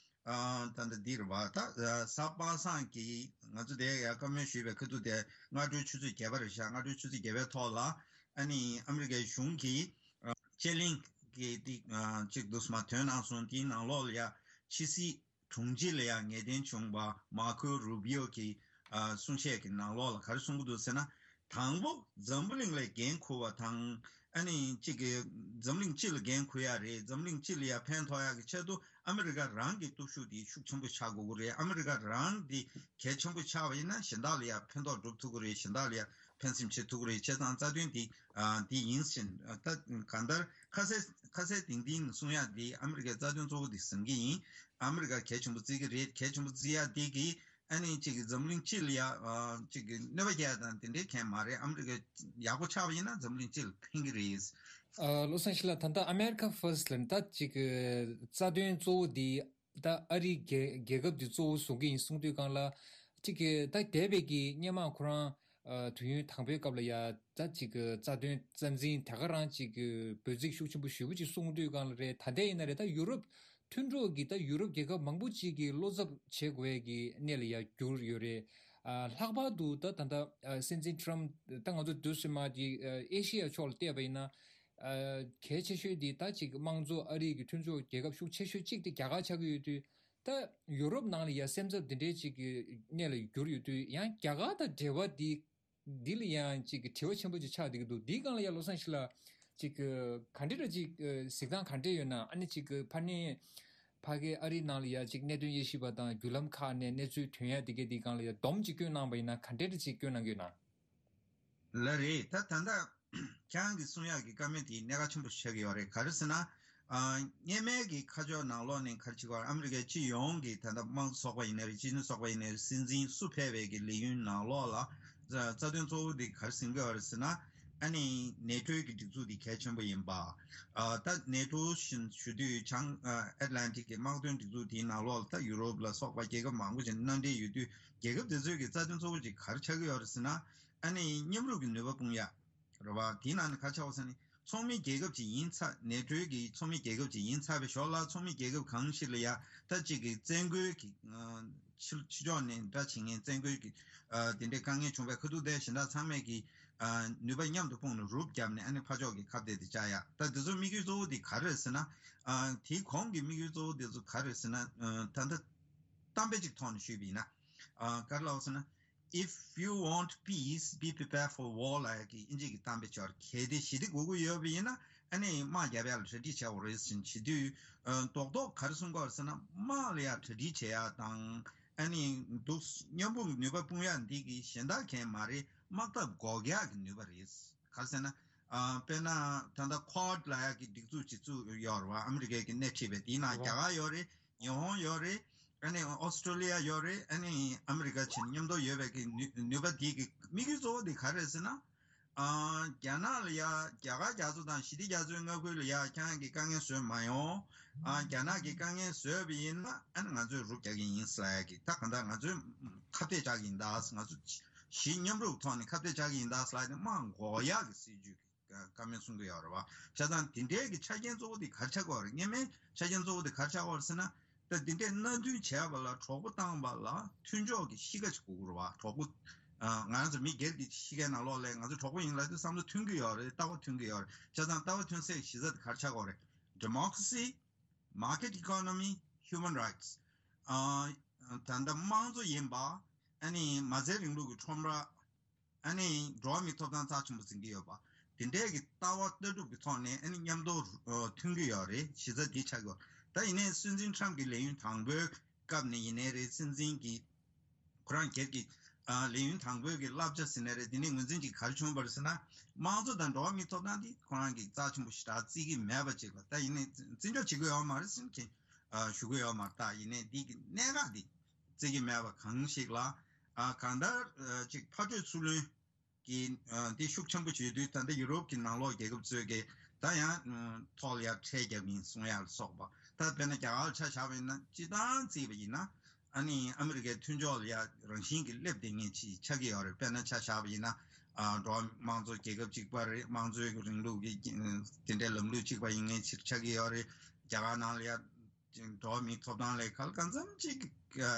ཨ་ད་ལྟ་འདི་རེད་བ། ད་གཟའ་པ་སངས་ཀྱི་ང་ཚོ་དེ་ཡ་བཀའ་མོལ་ཞུས་པའི་ཁ་ཐུག་དེ་སྔ་དྲོའི་ཆུ་ཚོད་བརྒྱད་པ་རེད་ཤག་སྔ་དྲོའི་ཆུ་ཚོད་བརྒྱད་པའི་ཐོག་ལ་ཨ་ནི་ཨ་མི་རི་ཀའི་གཞུང་གིས་ཨ་དཔྱད་གླེང་གི་དེ་ཨ་ཅིག་འདུག་སེ་མར་ཐོན་གནང་སོང་། དེའི་ནང་ལོགས་ལ་ཡ་ཕྱི་སྲིད་དྲུང་ཆེ་ལ་ཡང་ངེས་གཏན་བྱུང་བ་མར་ཁོ་རུ་བྷི་ཨོ་གི་ཨ་གསུང་བཤད་ཀྱི་ནང་ལོགས་ལ་ག་རེ་གསུང་གི་འདུག་ཟེར་ན། དང་པོ་འཛམ་བུ་གླིང་ལ་འགན་འཁུར་བ་དང་། ཨ་ནི་གཅིག་གི་འཛམ་གླིང་སྤྱི་ལ་འགན་འཁུར་ཡ་རེད། འཛམ་གླིང་སྤྱི་ལ་ཡང་ཕན་ཐོགས་ཡ་གི་ཆེད་དུ་ཨ་མི་རི་ཀ་རང་གི་སྟོབས་ཤུགས་དེ་ཤུགས་ཆེན་པོ་ཆགས་དགོས་ཀྱི་རེད། ཨ་མི་རི་ཀ་རང་དེ་གལ་ཆེན་པོ་ཆགས་པ་ཡིན་ན་གཞན་དག་ལ་ཡང་ཕན་ཐོགས་སྒྲུབ་ཐུབ་ཀྱི་རེད། གཞན་དག་ལ་ཡང་ཕན་སེམས་བྱེད་ཐུབ་ཀྱི་རེད། བྱས་ཙང་རྩ་དོན་དེ་ཨ་དེ་ཡིན་ཕྱིན་ད་གང་ལྟར་ཁ་གསལ་ཁ་གསལ་ཏིང་ཏིང་གསུང་ཡ་དེ་ཨ་མི་རི་ཀའི་རྩ་དོན་གཙོ་བོ་དེ་ཟིན་གྱི་ཡིན། ཨ་མི་རི་ཀ་གལ་ཆེན་པོ་བརྩི་གི་རེད། གལ་ཆེན་པོ་བརྩི་ཡ་དེ་གིས་ཨ་ནི་གཅིག་གི་འཛམ་གླིང་སྤྱི་ལ་ཡ་ཨ་གཅིག་གི་གནོད་པ་རྒྱག་ཡ་དང་དེ་འདྲའི་གང་ཡང་མ་རེད། ཨ་མི་རི་ཀ་ཡག་པོ་ཆགས་པ་ཡིན་ན་འཛམ་གླིང་སྤྱི་ལ་ཕན་གི་རེད། ཨ་བློ་བཟང་ཡེ་ཤེས་ལགས། ད་ལྟ་ཨ་མེ་རི་ཁ་ཕར་སི་ཊི་ལབ་ནས་ད་གཅིག་གི་རྩ་དོན་གཙོ་བོ་འདི་ད་ཨ་རི་རྒྱལ་རྒྱལ་ཁབ་འདི་གཙོ་བོ་བཟུང་གི་ཡིན་གསུང་དུས་སྒང་ལ་གཅིག་གི་ད་འདས་པའི་གི་སྔོན་མ་ཁོ་རང་ཨ་དུས་ཡུན་དང་པོའི་སྐབས་ལ་ཡ་ད་གཅིག་གི་རྩ་དོན་རྩ་འཛིན་དེ་ག་རང་གཅིག་གི་འབོད་ཚིག་ཤུགས་ཆེན་པོ་ཞེ་པོ་ཅིག་གསུང་དུས་སྒང་ལ་རེད། ད་ལྟ་ཡིན་ན་རེད། ད་ཡུ་རོབ་མཐུན་གྲོགས་ཀྱི་ད་ཡུ་རོབ་རྒྱལ་ཁབ་མང་པོ་ཅིག་གིས་བློ་འཚབ་བྱེད་དགོས་ཡས་ཀྱི་གནས་ལ་ཡ་གྱུར་ཡོད་རེད། ཨ་ལྷག་པར་དུ་ད་ད་ལྟ་ཨ་སྲིད་འཛིན་ཊམ་ད་ང་ཚོ་དུས་སུ་མ་དེ་ཨ་ཨེ་ཤི་ཡ་ཕྱོགས་ལ་བལྟས་པ་ཡིན་ན། ཨ་གལ་ཆེ་ཤོས་དེ་ད་ཅིག་དམངས་གཙོ་ཨ་རི་གི་མཐུན་ཕྱོགས་རྒྱལ་ཁབ་ཤུགས་ཆེ་ཤོས་གཅིག་དེ་རྒྱ་གར་ཆགས་ཀྱི་ཡོད་དུས། ད་ཡུ་རོབ་ནང་ལ་ཡ་སེམས་འཚབ་འདི་འདྲའི་ཅིག་གི་གནས་ལ་གྱུར་ཡོད་དུས། ཡང་རྒྱ་གར་དང་འབྲེལ་བ་འདི་འདི་ལ་ཡང་ཅིག་གི་དྲི་བ་ཆེན་པོ་ཅིག་ཆགས་བསྡད་ཀྱི་འདུག་འདིའི་སྒང་ལ་ཡང་བློ་བཟང་ཡེ་ཤེས་ལགས་ཅིག་གི་ག་འདྲ་འདྲ་ཅིག་གཟིགས་སྟངས་ག་འདྲ་ཡོད་ན། ཨ་ནི་ཅིག་གི་ཕར་ནས་ཕ་གི་ཨ་རིའི་ནང་ལ་ཡ་ཅིག་གནད་དོན་དབྱེ་ཞིབ་པ་དང་བརྒྱུད་ལམ་ཁག་ནས་གནས་ཚུལ་ཐོན་ཡ་འདི་གའི་འདིའི་སྒང་ལ་ཡ་སྡོམ་ཅིག་བསྐྱོན་གནང་བ་ཡིན་ན་ག་འདྲ་འདྲ་ཅིག་བསྐྱོན་གནང་གི་ཡོད་ན། ལགས་རེད། ད་ད་ལྟ་ཁྱེད་རང་གིས་གསུང་ཡག་གི་བཀའ་མོལ་དེ་གནད་འགག་ཆེན་པོ་ཆགས་ཀྱི་ཡོད་རེད། ག་རེ་ཟེར་ན། ཨ་སྔོན་མའི་གི་ཁ་ཕྱོགས་ནང་ལོགས་ནས་ག་རེ་བྱེད་ཀྱི་ཡོད་རེད། ཨ་མི་རི་ཀའི་སྤྱི་ཡོངས་ཀྱི་ད་ལྟ་དམངས་གཙོ་ཚོགས་པ་ཡིན་ནའི་རེད། སྤྱི་མཐུན་ཚོགས་པ་ཡིན་ནའི་རེད། སྲིད་འཛིན་སུ་ཕེབས་པའི་གི་ལས་ཡུན་ནང་ལོགས་ལ་རྩ་རྩ་དོན་གཙོ་བོ་དེ་ག་རེ་ཟིན་གྱི་ཡོད་རེད་ཟེར་ན། ཨ་ནི་ནེ་ཊོའི་གི་སྒྲིག་འཛུགས་དེ་གལ་ཆེན་པོ་ཡིན་པ། ཨ་ད་ནེ་ཊོ་བཞིན་ཞུ་དུས་བྱང་ཨ་ཨེཊ་ལན་ཊིག་གི་དམག་དོན་སྒྲིག་འཛུགས་དེའི་ནང་ལོགས་ལ་ད་ཡུ་རོབ་ལ་སོགས་པ་རྒྱལ་ཁབ་མང་པོ་ཞིག་མནའ་འབྲེལ་ཡོད་དུས་རྒྱལ་ཁབ་དེ་ཚོའི་གི་རྩ་དོན་གཙོ་བོ་ཅིག་ག་རེ་ཆགས་ཀྱི་ཡོད་རེད་ཟེར་ན། ཨ་ནི་མཉམ་རུབ་ཀྱི་ནུས་པ་སྤུངས་ཡ་རེད་བ། དེའི་ནང་ནས་ག་རེ་ཆགས་པ་ཟེར་ན། ཚོགས་མི་རྒྱལ་ཁབ་ཅིག་ཡིན་ཚར། ནེ་ཊོའི་གི་ཚོགས་མི་རྒྱལ་ཁབ་ཅིག་ཡིན་ཚར་བའི་ཞོར་ལ་ཚོགས་མི་རྒྱལ་ཁབ་གང་ཞིག་ལ་ཡ་ད་གཅིག་གི་བཙན་རྒོལ་གྱི་ཕྱི་ཕྱི་ཕྱོགས་ནས་འདྲ་བྱེད་མཁན་བཙན་རྒོལ་གྱི་དེ་འདྲའི་དཀའ་ངལ་བྱུང་བའི་ཁ་ཐུག་དེ་གཞན་དག་ཚང་མས་ཀྱི་ནུས་པ་མཉམ་དུ་སྤུངས་ནས་རུབ་བརྒྱབ་ནས་ཨ་ནི་ཕར་ཕྱོགས་ཀྱི་ཁ་གཏད་དེ་བཅག་ཡ། ད་དེ་ཚོ་དམིགས་ཡུལ་གཙོ་བོ་དེ་ག་རེ་རེད་ཟེར་ན། དེའི་གོང་གི་དམིགས་ཡུལ་གཙོ་བོ་དེ་ཚོ་ག་རེ་རེད་ཟེར་ན། ད་ལྟ་གཏམ་དཔེ་ཅིག་ཐོག་ནས་ཞུས་པ་ཡིན་ན། ག་རེ་ལབ་ཟེར་ན། If you want peace, be prepared for war ལབ་ཡ་གི་ཨིན་ཇི་གི་གཏམ་དཔེ་ཅིག་ཡོད་རེད། གལ་ཏེ་ཞི་བདེ་དགོས་ཀྱི་ཡོད་པ་ཡིན་ན་ཨ་ནི་དམག་རྒྱབ་ཡ་ལ་གྲ་སྒྲིག་བྱེད་དགོས་རེད་ཟེར་བྱེད་དུས། རྡོག་རྡོག་ག་རེ་གསུང་གི་ཡོད་རེད་ཟེར་ན། དམག་ལ་ཡ་གྲ་སྒྲིག་བྱེད་ཡ་དང་། ཨ་ནི་འདུག་མཉམ་སྤུངས་ཀྱི་ནུས་པ་སྤུངས་ཡ་འདི་གི་གཞན་དག་གང་ཡང་མ་རེད། དམག་འཐབ་འགོག་ཡ་གི་ནུས་པ་རེད། ག་རེ་ཟེར་ན། དཔེར་ན་ད་ལྟ་ཁོཌ་ལབ་ཡ་གི་སྒྲིག་འཛུགས་ཅིག་བཙུགས་ཡོད་རེད་བ། ཨ་མི་རི་ཀའི་གི་སྣེ་ཁྲིད་པའི། དེའི་ནང་རྒྱ་གར་ཡོད་རེད། ཉི་ཧོང་ཡོད་རེད། ཨ་ནི་ཨོ་སི་ཀྲོ་ལི་ཡ་ཡོད་རེད། ཨ་ནི་ཨ་མི་རི་ཀ་བྱས་ནས་མཉམ་དུ་ཡོད་པའི་གི་ནུས་ནུས་པ་དེ་གི་དམིགས་ཡུལ་གཙོ་བོ་དེ་ག་རེ་རེད་ཟེར་ན། ཨ་རྒྱ་ནག་ལ་ཡ་རྒྱ་གར་རྒྱ་མཚོ་དང་ཞི་བདེ་རྒྱ་མཚོའི་མངའ་ཁུལ་ལ་ཡ་ཁྱེད་རང་གི་དཀའ་ངལ་བཟོས་མ་ཡོང་། ཨ་རྒྱ་ནག་གི་དཀའ་ངལ་བཟོས་པ་ཡིན་ན་ཨ་ནི་ང་ཚོས་རུབ་རྒྱག་གི་ཡིན་ཟེར་ཡ་གི། ད་གང་ལྟར་ང་ཚོས་ཁ་གཏད་བཅག་གི་ཡིན་ད། ང་ཚོ་གཞི་མཉམ་རུབ་ཐོག་ནས་ཁ་གཏད་བཅག་གི་ཡིན་ད་ཟེར་ཡ་དེ་དམག་འགོག་ཡག་གི་སྲིད་ཇུས་ཀྱི་བཀའ་མོལ་གསུང་གི་ཡོད་རེད་བ། བྱས་ཙང་དེ་འདྲའི་གི་ཆ་རྐྱེན་གཙོ་བོ་དེ་ག་རེ་ཆགས་ཀྱི་ཡོད་རེད། སྔོན་མའི་ཆ་རྐྱེན་གཙོ་བོ་དེ་ག་རེ་ཆགས་ཀྱི་ཡོད་རེད་ཟེར་ན། ད་དེ་འདྲའི་མནའ་མཐུན་བྱས་པ་ལ་གྲོགས་པོ་བཏང་བ་ལ་མཐུན་ཕྱོགས་ཀྱི་གཤིས་ཀ་ཅིག་དགོས་ཀྱི་རེད་བ། གྲོགས་པོ། ང་རང་ཚོ་མི་སྒེར་གྱི་གཤིས་ཀའི་ནང་ལོགས་ལ་ང་ཚོ་གྲོགས་པོ་ཡིན་ལབ་དུས་བསམ་བློ་མཐུན་གྱི་ཡོད་རེད། ལྟ་བ་མཐུན་གྱི་ཡོད་རེད། བྱས་ཙང་ལྟ་བ་མཐུན་སའི་གཞི་རྩ་དེ་ག་རེ་ཆགས་ཀྱི་ཡོད་རེད། democracy, market economy, human rights. ཨ་ད་ལྟ་དམངས་གཙོ་ཡིན་པ། ཨ་ནི་མ་རྩའི་རིང་ལུགས་ཀྱི་ཁྲོམ་ར། ཨ་ནི་འགྲོ་བ་མིའི་ཐོབ་ཐང་རྩ་ཆེན་པོ་འཛིན་གྱི་ཡོད་པ། དེ་འདྲའི་གི་ལྟ་བ་ལྟ་གྲུབ་ཀྱི་ཐོག་ནས་ཨ་ནི་མཉམ་དུ་མཐུན་གྱི་ཡོད་རེད། གཞི་རྩ་འདི་ཆགས་ཀྱི་ཡོད། ད་ཡིན་ནའི་སྲིད་འཛིན་ཁྲམ་གྱི་ལས་ཡུན་དང་པོའི་སྐབས་ནས་ཡིན་ནའི་རེད། སྲིད་འཛིན་གྱི་ཁོ་རང་སྒེར་གྱི་ཨ་ལས་ཡུན་དང་པོའི་གི་བསླབ་བྱ་ཟེར་ནའི་རེད། དེ་ནས་ངོས་འཛིན་གྱི་ག་རེ་བྱུང་བ་རེད་ཟེར་ན། དམངས་གཙོ་དང་འགྲོ་བ་མིའི་ཐོབ་ཐང་འདི་ཁོ་རང་གི་རྩ་ཆེན་པོ་ཞེ་དྲག་བརྩི་གི་མེད་པ་ཅིག་ལ། ད་ཡིན་ནའི་བརྩི་འཇོག་བྱེད་ཀྱི་ཡོད་མ་རེད་ཟེར་མཁན་ཨ་ཞུ་གི་ཡོད་མ་རེད། ད་ཡིན་ནའི་འདི་གི་གནད་འགག་འདི་བརྩི་གི་མེད་པ་གང་ཞིག་ལ། ཨ་གང་ལྟར་ཨ་ཅིག་ཕར་སྤྲོད་ཚུར་ལེན་གྱི་ཨ་འདི་ཤུགས་ཆེན་པོ་བྱེད་དུས། ད་ལྟ་ཡུ་རོབ་ཀྱི་ནང་ལོགས་རྒྱལ་ཁབ་ཚོས་ཀྱི་ད་ཡང་ཨ་ཐོག་ལ་ཡར་ཁྲལ་རྒྱབ་ཡིན་གསུང་ཡ་ལ་སོགས་པ། ད་དཔེར་ན་རྒྱ་གར་ལ་ཆ་བཞག་པ་ཡིན་ན། སྤྱིར་བཏང་བརྩིས་པ་ཡིན་ན། ཨ་ནི་ཨ་མི་རི་ཀའི་མཐུན་ཕྱོགས་ལ་ཡ་རང་བཞིན་གྱིས་སླེབས་བསྡད་མཁན་ཅིག་ཆགས་ཀྱི་ཡོད་རེད། དཔེར་ན་ཆ་བཞག་པ་ཡིན་ན། ཨ་འགྲོ་བ་དམངས་གཙོ་རྒྱལ་ཁབ་གཅིག་པ་རེད། དམངས་གཙོའི་གི་རིང་ལུགས་ཀྱི་དེ་འདྲའི་ལམ་ལུགས་གཅིག་པ་ཡིན་མཁན་ཅིག་ཆགས་ཀྱི་ཡོད་རེད། རྒྱ་གར་ནང་ལ་ཡ་འགྲོ་བ་མིའི་ཐོབ་ཐང་ལ་གང་ལ་གང་འཚམ་ཅིག་ཨ་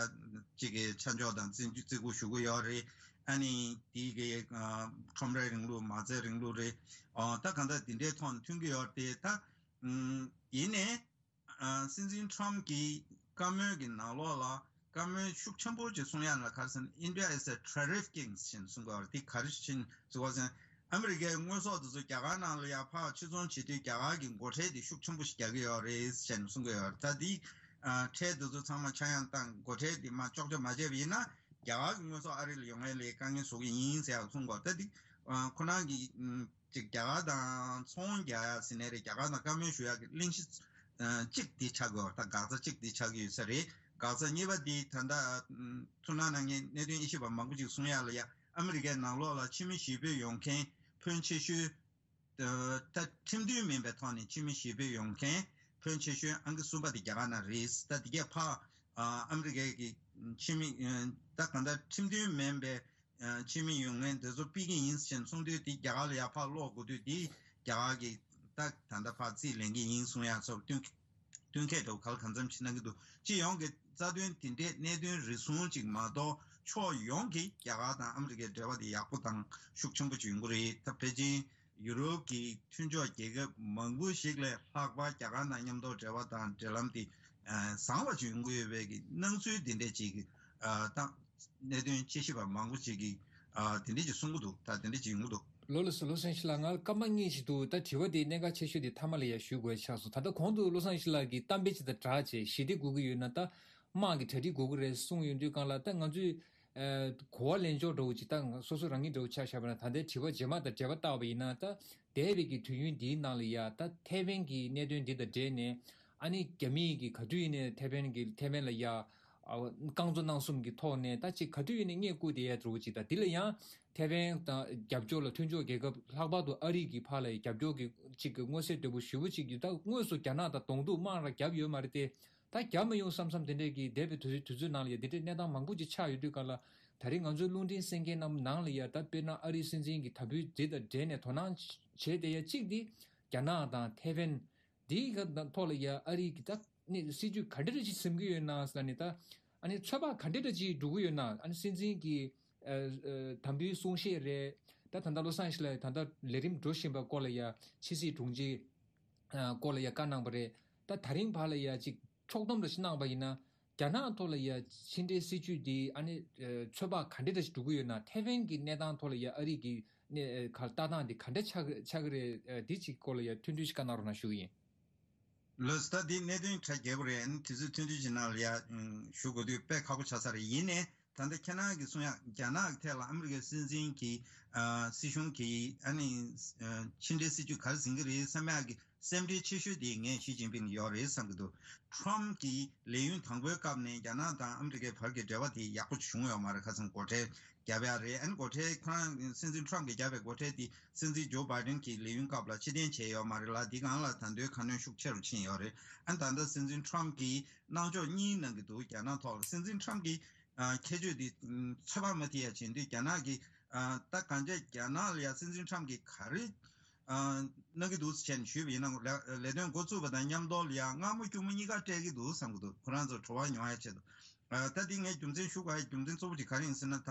ཅིག་གི་ཆ་འཇོག་དང་བརྩི་འཇོག་བརྩི་བཀུར་ཞུ་གི་ཡོད་རེད། ཨ་ནི་དེའི་གི་ཨ་ཁྲོམ་རའི་རིང་ལུགས། མ་རྩའི་རིང་ལུགས་རེད། ཨ་ད་གང་ལྟར་དེ་འདྲའི་ཐོག་ནས་མཐུན་གྱི་ཡོད་རེད། ད་ཨ་ཡིན་ནའི། ཨ་སྲིད་འཛིན་ཁྲམ་གྱིས་བཀའ་མོལ་གྱི་ནང་ལོགས་ལ་བཀའ་མོལ་ཤུགས་ཆེན་པོ་ཅིག་གསུང་ཡ་ལ་ག་རེ་ཟེར་ན། India is a tariff king ཞེས་གསུང་གི་ཡོད་རེད། དེ་ག་རེ་བྱས་ནས་གསུང་གི་ཡོད་ཟེར་ན། ཨ་མི་རི་ཀའི་དངོས་ཟོག་དེ་ཚོ་རྒྱ་གར་ནང་ལ་ཡར་ཕར་ཕྱིར་ཚོང་བྱེད་དུས་རྒྱ་གར་གྱི་སྒོ་ཁྲལ་དེ་ཤུགས་ཆེན་པོ་ཞིག་རྒྱག་གི་ཡོད་རེད་ཟེར་ནས་གསུང་གི་ཡོད་རེད། ད་དེ་ཨ་ཁྲལ་དེ་ཚོ་ཚང་མ་ཆག་ཡང་བཏང་། སྒོ་ཁྲལ་དེ་མར་གཅོག་ཆ་མ་བྱས་པ་ཡིན་ན་རྒྱ་གར་གྱི་དངོས་ཟོག་ཨ་རི་ལ་ཡོང་ཡ་ལ་དཀའ་ངལ་བཟོ་གི་ཡིན་ཟེར་ཡག་གསུང་གི་ཡོད། ད་དེ་ཨ་ཁོ་རང་གི་ཅིག་རྒྱ་གར་དང་ཚོང་རྒྱག་ཡ་ཟེར་ནའི་རེད། རྒྱ་གར་དང་བཀའ་མོལ་ཞུ་ཡ་གི་གླེང་གཞི་ཨ་གཅིག་དེ་ཆགས་ཀྱི་ཡོད། ད་འགག་རྩ་གཅིག་དེ་ཆགས་ཀྱི་ཡོད་ས་རེད། འགག་རྩ་གཉིས་པ་དེ་ད་ལྟ་ཨ་ཐུགས་སྣང་གནང་མཁན་གནད་དོན་དབྱེ་ཞིབ་པ་མང་པོ་ཅིག་གསུང་ཡ་ལ་ཡ། ཨ་མི་རི་ཀའི་ནང་ལོགས་ལ་ཕྱི་མི་ཞི་བོད་ཡོང་མཁན་ཕོན་ཆེ་ཤོས་ཨ་ད་ཁྲིམས་མཐུན་མིན་པའི་ཐོག་ནས་ཕྱི་མི་ཞི་བོད་ཡོང་མཁན་ཕོན་ཆེ་ཤོས་ཨང་ཀི་གསུམ་པ་དེ་རྒྱ་གར་ནང་རེད། ད་དེ་གས་ཕར་ཨ་ཨ་མི་རི་ཀའི་གི་ཕྱི་མི་ཨ་ད་གང་ལྟར་ཁྲིམས་མཐུན་མིན་པའི་ཨ་ཕྱི་མི་ཡོང་མཁན་དེ་ཚོ་ཕུད་ཀྱི་ཡིན་ཟེར་གསུང་དུས། དེ་རྒྱ་གར་ལ་ཡར་ཕར་སློག་དགོས་དུས། དེ་རྒྱ་གར་གྱིས་ད་ད་ལྟ་ཕར་རྩིས་ལེན་གྱི་ཡིན་གསུང་ཡ་སོགས་བསྟུན་བསྟུན་མཁས་འདྲ་བོ་ག་ལ་གང་འཚམ་ཞིག་གནང་གི་འདུག་སྤྱི་ཡོངས་ཀྱི་རྩ་དོན་དེ་འདྲའི་གནད་དོན་རེ་ཟུང་ཅིག་མ་གཏོགས་ཕྱོགས་ཡོངས་ཀྱི་རྒྱ་གར་དང་ཨ་མི་རི་ཀའི་འབྲེལ་བ་དེ་ཡག་པོ་དང་ཤུགས་ཆེན་པོ་ཅིག་ཡོང་གི་རེད། ད་ཕལ་ཆེར་ཡུ་རོབ་ཀྱི་མཐུན་ཕྱོགས་རྒྱལ་ཁབ་མང་པོ་ཞིག་ལས་ལྷག་པ་རྒྱ་གར་དང་མཉམ་དུ་འབྲེལ་བ་དང་འབྲེལ་ལམ་དེ་ཨ་བཟང་བ་ཅིག་ཡོང་གི་ཡོད་པའི་གི་སྣང་ཚུལ་དེ་འདྲ་ཅིག་ཨ་ད་གནད་དོན་དཔྱད་ཞིབ་པ་མང་པོ་ཅིག་གིས་ཨ་དེ་འདྲ་ཅིག་གསུང་གི་འདུག་ད་དེ་འདྲ་ཅིག་ཡོང་གི་འདུག་ལགས་སོ། བློ་བཟང་ཡེ་ཤེས་ལགས། ང་སྐར་མ་གཉིས་ཤིག་འདུག་ད་དྲི་བ་དེ་གནད་འགག་ཆེ་ཤོས་དེ་མཐའ་མ་ལ་ཡ་ཞུ་དགོས་ཆགས་སོང་། ད་ལྟ་གོང་དུ་བློ་བཟང་ཡེ་ཤེས་ལགས་ཀྱིས་གཏམ་དཔེ་ཅིག་དང་སྦྲགས་བྱས་ཞི་བདེ་དགོས་ཀྱི་ཡོད་ན་ད་དམག་གི་གྲ་སྒྲིག་དགོས་ཀྱི་རེད་གསུངས་ཡོང་དུས་སྒང་ལ། ད་ང་ཚོས་ཨ་གོ་བ་ལེན་ཕྱོགས་འདྲ་བོ་ཅིག་ད་སོ་སོ་རང་ཉིད་འདྲ་བོ་ཆ་བཞག་པ་ན། ད་ལྟའི་དྲི་བ་རྗེས་མ་དང་འབྲེལ་བ་བཏགས་པ་ཡིན་ན། ད་འདས་པའི་གི་དུས་ཡུན་འདིའི་ནང་ལ་ཡ་ད་ཐའེ་ཝན་གྱི་གནད་དོན་འདི་དང་འབྲེལ་ནས་ཨ་ནི་རྒྱ་མིས་གི་ག་དུས་ཡིན་ནའི་ཐའེ་ཝན་གྱི་ཐའེ་ཝན་ལ་ཡ་ ཨ་རྐང་བཙུགས་གནང་གསུམ་གྱི་ཐོག་ནས་ད་ཅིག་ག་དུས་ཡིན་ནའི་བསྙད་བཀུར་དེ་ཡ་འགྲོ་གི་ཅིག་དང་། དེ་ལ་ཡང་ཐེ་ཝན་དང་རྒྱབ་ཕྱོགས་ལ་མཐུན་ཕྱོགས་རྒྱལ་ཁབ་ལྷག་པར་དུ་ཨ་རི་གི་ཕར་ལ་རྒྱབ་སྐྱོར་གྱི་ཅིག་གི་མངོན་གསལ་དོད་པོ་ཞེ་པོ་ཅིག་ཡོད། ད་དངོས་སུ་རྒྱ་ནག་དང་གདོང་ཐུག་དམག་ར་བརྒྱབ་ཡོད་མ་རེད་དེ། ད་རྒྱབ་མི་ཡོང་བསམ་བསམ་དེ་འདྲས་ཀྱི་འདས་པའི་དུས་དུས་ཚོད་ནང་ལ་ཡ་དེ་འདྲས་གནས་སྟངས་མང་པོ་ཅིག་ཆགས་ཡོད་དུས་ག་ལ། ད་རེས་ང་ཚོའི་རླུང་འཕྲིན་གསན་མཁན་རྣམས་ནང་ལ་ཡ་ད་དཔེར་ན་ཨ་རིའི་སྲིད་འཛིན་གྱི་དམ་འབུལ་འདི་དང་འབྲེལ་ནས་དོ་སྣང་བྱས་བསྡད་ཡ་གཅིག་འདི་རྒྱ་ནག་དང་ཐེ་ཝན་འདིའི་ཐོག་ལ་ཡ་ཨ་རིའི་གི་ད་ནི་སྲིད་ཇུས་ག་འདྲ་ཅིག་འཛིན་གྱི་ཡོད་ན་ཟེར་ནས། ད་ཨ་ནི་ཚོད་དཔག་ག་འདྲ་ཅིག་འགྲོ་གི་ཡོད་ན། ཨ་ནི་སྲིད་འཛིན་གྱི་ཨ་ཨ་དམ་འབུལ་གསུང་བཤད་རེད། ད་ད་ལྟ་བློ་བཟང་ཞིག་ལ་ད་ལྟ་ལས་རིམ་འགྲོ་བཞིན་པ་སྐོར་ལ་ཡ་ཕྱི་སྲིད་དྲུང་ཆེ་ཨ་སྐོར་ལ་ཡ་བཀའ་གནང་བ་རེད། ད་ད་རིང་བར་ལ་ཡ་ཅིག་ཕྱོགས་བསྡོམས་འདྲ་ཞིག་གནང་བ་ཡིན་ན། རྒྱ་ནག་ཐོག་ལ་ཡ་ཕྱི་འབྲེལ་སྲིད་ཇུས་འདི་ཨ་ནི་ཨ་ཚོད་དཔག་ག་འདྲ་འདྲ་ཞིག་འགྲོ་གི་ཡོད་ན། ཐེ་ཝན་གྱི་གནས་སྟངས་ཐོག་ལ་ཡ་ཨ་རི་གི་གནས་ཨ་ག་ལྟ་སྟངས་འདི་ག་འདྲ་ཆགས་ཆགས་ཀྱི་རེད། ཨ་འདི་ཅིག་སྐོར་ལ་ཡ་ཐུང་ཐུང་ཞིག་བཀའ་གནང་རོགས་གནང་ཞུ་གི་ཡིན། ལགས་སོ། ད་འདི་གནད་དོན་ཁྲ་རྒྱས་པོ་རེད། ཨ་ནི་དུས་ཚོད་ཐུང་ཐུང་ཞིག་ནང་ལ་ཡ་ཨུམ་ཞུ་དགོས་དུས་དཔེ་ཁག་པོ་ཆགས་ས་རེད། ཡིན་ནའི་ད་ལྟ་ཁྱེད་རང་གིས་གསུང་ཡག་རྒྱ་ནག་གི་ཐད་ལ་ཨ་མི་རི་ཀའི་སྲིད་འཛིན་གྱི་ཨ་སྲིད་གཞུང་གིས་ཨ་ནི་ཨ་ཕྱི་འབྲེལ་སྲིད་ཇུས་ག་རེ་འཛིན་གྱི་རེད་བསམ་ཡག་གི་སེམས་ཁྲལ་ཆེ་ཤོས་དེ་ངས་ཞི་ཅིན་ཕིང་ལ་ཡོད་རེད་བསམ་གྱི་འདུག་ཊམ་གྱི་ལས་ཡུན་དང་པོའི་སྐབས་ནས་རྒྱ་ནག་དང་ཨ་མི་རི་ཀའི་བར་གྱི་འབྲེལ་བ་དེ་ཡག་པོ་བྱུང་ཡོད་མ་རེད། ཁ་སང་སྒོ་ཁྲལ་བརྒྱབ་ཡག་རེད། ཨ་ནི་སྒོ་ཁྲལ་ཁོ་རང་སྲིད་འཛིན་ཊམ་གྱིས་བརྒྱབ་པའི་སྒོ་ཁྲལ་དེ་སྲིད་འཛིན་ཇོ་བྷའི་ཌེན་གྱི་ལས་ཡུན་སྐབས་ལ་ཕྱིར་འཐེན་བྱས་ཡོད་མ་རེད་ལ། འདི་སྒང་ལ་ད་དུང་ཁ་སྣོན་ཤུགས་ཆེ་རུ་ཕྱིན་ཡོད་རེད། ཨ་ནི་ད་ལྟ་སྲིད་འཛིན་ཊམ་གྱིས་གནང་ཕྱོགས་གཉིས་གནང་གི་འདུག་རྒྱ་ནག་ཐོག་ལ་སྲིད་འཛིན་ཊམ་གྱི་ཨ་ཁྱད་ཆོས་འདི་ཚོད་དཔག་མ་ཐེག་ཡ་བྱེད་དུས། རྒྱ་ནག་གི་ཨ་ད་གང་ཅི་རྒྱ་ནག་ལ་ཡ་སྲིད་འཛིན་ཊམ་གྱིས་ག་རེ་ཨ་གནང་གི་འདུག་ཟེར་བྱས་ནས་ཞུས་པ་ཡིན་ན། ལས་ལས་དོན་འགོ་བཙུགས་པ་དང་མཉམ་དུ་ལ་ཡ་མངར་མོ་སྐྱུར་མོ་གཉིས་ཀ་སྤྲད་ཀྱི་འདུག་བསམ་གྱི་འདུག་ཁོ་རང་ཚོ་བྲོ་བ་མྱོང་ཡ་ཆེད་དུ། ཨ་ད་འདི་ངས་རྒྱུ་མཚན་ཞུ་དགོས་ཡ་རྒྱུ་མཚན་གཙོ་བོ་དེ་ག་རེ་ཡིན་ཟེར་ན། ད་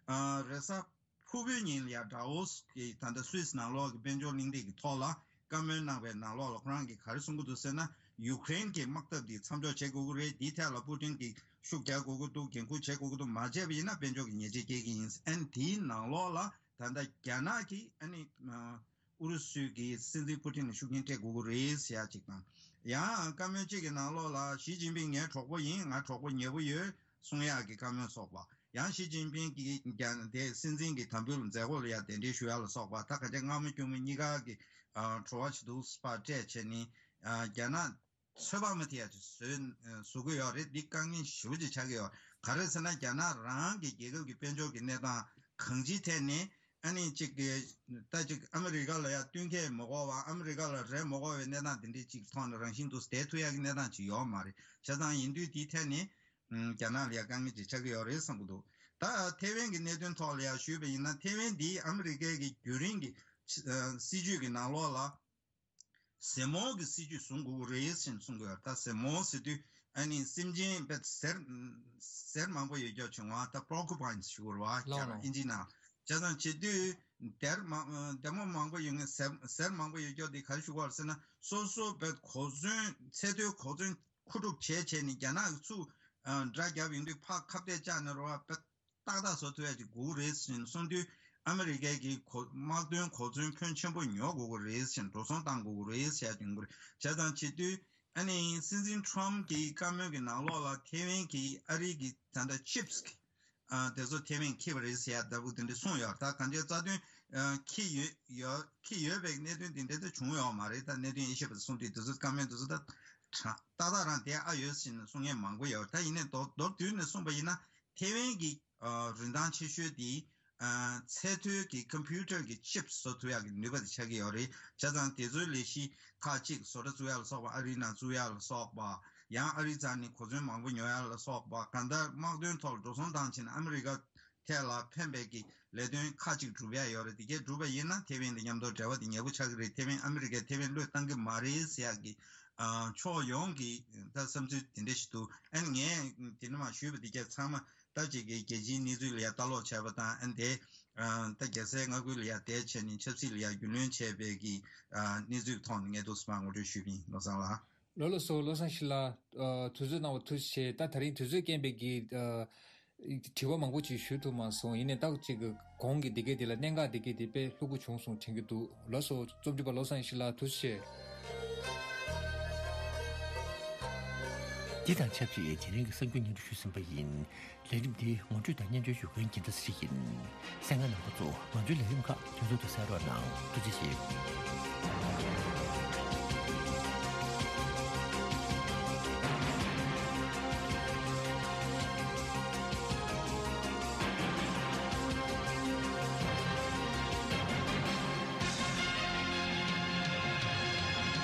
ཨ་རེས་གཟའ་ཕུར་བུའི་ཉིན་ལ་ཡ་ཌ་ཝོ་སི་གི་ད་ལྟ་སུད་སི་ནང་ལོགས་ཀྱི་དཔལ་འབྱོར་གླེང་སྟེགས་ཀྱི་ཐོག་ལ་བཀའ་མོལ་གནང་བའི་ནང་ལོགས་ལ་ཁོ་རང་གིས་ག་རེ་གསུང་གི་འདུག་ཟེར་ན། ཡུཀ་རེན་གྱི་དམག་འཐབ་འདི་མཚམས་འཇོག་བྱེད་དགོས་ཀྱི་རེད། འདིའི་ཐད་ལ་པུ་ཏིན་གྱིས་ཤུགས་རྒྱག་དགོས་ཀྱི་འདུག་འགན་འཁུར་བྱེད་དགོས་ཀྱི་འདུག་མ་བྱས་པ་ཡིན་ན་དཔལ་འབྱོར་གྱི་ཉེས་ཆད་སྐྱེལ་གྱི་ཡིན། ཨ་ནི་དེའི་ནང་ལོགས་ལ་ད་ལྟ་རྒྱ་ནག་གིས་ཨ་ནི་ཨུ་རུ་སུ་གི་སྲིད་འཛིན་པུ་ཏིན་ལ་ཤུགས་རྐྱེན་སྤྲད་དགོས་ཀྱི་རེད་ཟེར་ཡ་གཅིག་དང་། ཡང་བཀའ་མོལ་གཅིག་གི་ནང་ལོགས་ལ་ཞི་ཅིན་ཕིང་ངའི་གྲོགས་པོ་ཡིན། ང་གྲོགས་པོ་ཉེ་པོ་ཡོད། གསུང་ཡག་གི་བཀའ་མོལ་སོགས་པ། ཡང་ཞི་ཅིན་ཕིང་གིས་ཀྱང་དེ་སྲིད་འཛིན་གྱི་དམ་འབུལ་མཛད་སྒོ་ལ་ཡང་གདན་འདྲེན་ཞུ་ཡག་ལ་སོགས་པ། ད་ག་ཅི་མངར་མོ་སྐྱུར་མོ་གཉིས་ཀ་གི་ཨ་བྲོ་བ་ཞིག་འདུག་པ་སྤྲད་བྱས་ནས། ཨ་རྒྱ་ནག་ཚོད་དཔག་མ་ཐེག་ཡ་ཅིག་བཟོས་བཟོ་གི་ཡོད་རེད། འདི་དཀའ་ངལ་ཞེ་པོ་ཅིག་ཆགས་ཀྱི་ཡོད། ག་རེ་ཟེར་ན། རྒྱ་ནག་རང་གི་རྒྱལ་ཁབ་ཀྱི་དཔལ་འབྱོར་གྱི་གནས་སྟངས་གང་ཅིའི་ཐད་ནས་ཨ་ནི་ཅིག་གི་ད་ཅིག་ཨ་མི་རི་ཀ་ལ་ཡ་བསྟུན་མཁས་མ་དགོས་པ། ཨ་མི་རི་ཀ་ལ་རེ་མ་དགོས་པའི་གནས་སྟངས་དེ་འདྲའི་ཅིག་ཐོག་ནས་རང་བཞིན་དུ་བསྡད་ཐུབ་ཡག་གི་གནས་སྟངས་ཅིག་ཡོད་མ་རེད། བྱས་ཙང་ཡིན་དུས་དེའི་ཐད་ནས་ཨམ་རྒྱ་ནག་ལ་ཡ་དཀའ་ངལ་ཅིག་ཆགས་ཀྱི་ཡོད་རེད་བསམ་གྱི་འདུག་ད་ཐེ་ཝན་གྱི་གནད་དོན་ཐོག་ལ་ཡ་ཞུས་པ་ཡིན་ན། ཐེ་ཝན་འདི་ཨ་མི་རི་ཀའི་གི་རྒྱུན་རིང་གི་ཨ་སྲིད་ཇུས་ཀྱི་ནང་ལོགས་ལ་ཟེར་མོ་གི་སྲིད་ཇུས་བཟུང་དགོས་ཀྱི་རེད་ཟེར་གསུང་གི་ཡོད། ད་ཟེར་མོ་ཟེར་དུས་ཨ་ནི་སེམས་ཅན་དཔེ་ཟེར་ཟེར་མང་པོ་ཡོད་རྒྱུ་བྱུང་བ། ད་པོར་ཀུ་པའིན་ཞུ་དགོས་རེད་བ། ལགས་ལགས། ཨིན་ཇི་ནང་། བྱས་ཙང་བྱེད་དུས་དེར་མ་ལྡེ་མོ་མང་པོ་ཡོད་ངེས་ཟེར་ཟེར་མང་པོ་ཡོད་རྒྱུ་དེ་ག་རེ་ཞུ་དགོས་རེད་ཟེར་ན། སོ་སོ་དཔེ་གོ་མཚོན་ཚད་མཐོའི་གོ་མཚོན་མཁོ་སྒྲུབ་བྱས་བྱས་ནས་རྒྱ་ནག་གིས་ཚུར་ཨ་དགྲ་བརྒྱབ་ཡོང་དུས་ཕར་ཁ་གཏད་བཅག་ནས་རེད་བ། དཔེ་ཏག་ཏག་བཟོ་ཐུབ་ཡ་ཅིག་དགོས་ཀྱི་རེད་ཟེར་ནས་གསུངས་དུས། ཨ་མི་རི་ཀའི་གི་གོ་དམག་དོན་གོ་མཚོན་ཕོན་ཆེན་པོ་ཉོ་དགོས་ཀྱི་རེད་ཟེར་ནས་འགྲོ་སོང་བཏང་དགོས་ཀྱི་རེད་ཟེར་ཡ་ཅིག་ཡོང་གི་རེད། བྱས་ཙང་བྱེད་དུས་ཨ་ནི་སྲིད་འཛིན་ཊམ་གྱི་བཀའ་མོལ་གྱི་ནང་ལོགས་ལ་ཐེ་ཝན་གྱི་ཨ་རི་གི་ད་ལྟ་ཆིབས་གི་ཨ་དེ་ཚོ་ཐེ་ཝན་འཁྱེར་བ་རེད་ཟེར་ཡ་ལྟ་བུ་དེ་འདྲ་གསུངས་ཡོད། ད་གང་ཅི་རྩ་དོན་ཨ་འཁྱེར་ཡོད་ཡོད་འཁྱེར་ཡོད་པའི་གནད་དོན་དེ་འདྲ་ད་བྱུང་ཡོད་མ་རེད། ད་གནད་དོན་དབྱེ་ཞིབ་པ་གསུངས་དུས་དེ་ཚོ་བཀའ་མོལ་དེ་ཚོ་ད་ཏག་ཏག་རང་དེ་ཨ་ཡོད་ཟེར་ནས་གསུང་མཁན་མང་པོ་ཡོད། ད་ཡིན་ནའི་མདོར་མདོར་བསྡུས་ནས་གསུངས་པ་ཡིན་ན། ཐེ་ཝན་གྱི་ཨ་རིན་ཐང་ཆེ་ཤོས་དེ་ཨ་ཚད་མཐོའི་གི་ཀམ་པུ་ཊར་གྱི་ཆིབས་བཟོ་ཐུབ་ཡག་གི་ནུས་པ་དེ་ཆགས་ཀྱི་ཡོད་རེད། བྱས་ཙང་དེ་ཚོའི་ལས་གཞི་ཁག་ཅིག་བཟོ་གྲྭ་བཙུགས་ཡག་ལ་སོགས་པ། ཨ་རིའི་ནང་བཙུགས་ཡག་ལ་སོགས་པ། ཡང་ཨ་རིའི་རྩ་ནས་གོ་མཚོན་མང་པོ་ཉོ་ཡག་ལ་སོགས་པ། གང་ལྟར་དམག་དོན་ཐོག་ལ་འགྲོ་སོང་བཏང་ཕྱིན་ཨ་མི་རི་ཀ་ཐད་ལ་ཕན་པའི་གི་ལས་དོན་ཁག་ཅིག་སྒྲུབ་ཡག་ཡོད་རེད། དེ་གས་སྒྲུབ་པ་ཡིན་ན་ཐེ་ཝན་དང་མཉམ་དུ་འབྲེལ་བ་དེ་ཉེ་པོ་ཆགས་ཀྱི་རེད། ཐེ་ཝན་ཨ་མི་རི་ཀས་ཐེ་ཝན་བློས་བཏང་གི་མ་རེད་ཟེར་ཡག་གི་ཨ་ཕྱོགས་ཡོངས་ཀྱི་ད་བསམ་ཚུལ་དེ་འདྲ་ཞིག་འདུག་ཨ་ནི་ངས་དེ་ནས་མར་ཞུས་པ་དེ་གས་ཚང་མ་ད་ཅིག་གི་རྒྱལ་སྤྱིའི་གནས་ཚུལ་ལ་ཡ་ལྟ་ཀློག་བྱས་པ་དང་། ཨ་ནི་དེ་ཨ་ད་རྒྱལ་སའི་མངའ་ཁུལ་ལ་ཡ་བསྡད་བྱས་ནས་ཆབ་སྲིད་ལ་ཡ་རྒྱུས་ལོན་བྱས་པའི་གི་ཨ་གནས་ཚུལ་གྱི་ཐོག་ནས་ངས་འདུག་སེ་མར་ངོ་སྤྲོད་ཞུས་པ་ཡིན། བློ་བཟང་ལགས། ལགས་ལགས་སོ། བློ་བཟང་ཞིག་ལ་ཨ་དུས་ཚོད་གནང་བ་ཐུགས་རྗེ་ཆེ། ད་ད་རིང་དུས་ཚོད་རྐྱེན་པས་ཀྱི་ཨ་དྲི་བ་མང་པོ་ཅིག་ཞུ་ཐུབ་མ་སོང་། ཡིན་ནའི་ད་ཅིག་གི་གོང་གི་འདི་གས་འདི་ལ་གནད་འགག་འདི་གས་འདི་དཔེ་ལྷུག་པོ་བྱུང་སོང་དྲན་གྱི་འདུག་ལགས་སོ། རྩོམ་སྒྲིག་པ་བློ་བཟང་ཞིག་ལ་ཐུགས་རྗེ་ཆེ། འདི་དང་ཆབས་ཅིག་དེ་རིང་གི་གསར་འགྱུར་སྙན་སྒྲོན་ཞུས་ཟིན་པ་ཡིན། ལས་རིམ་འདི་ངོ་སྤྲོད་དང་སྙན་སྒྲོན་ཞུ་མཁན་འགྱུར་ལྡོག་ཟེར་ཡིན། གསན་མཁན་རྣམ་པ་ཚོ་ང་ཚོའི་ལས་རིམ་ཁག་དུས་ཚོད་དུ་གསན་རོགས་གནང་། ཐུགས་རྗེ་ཆེ།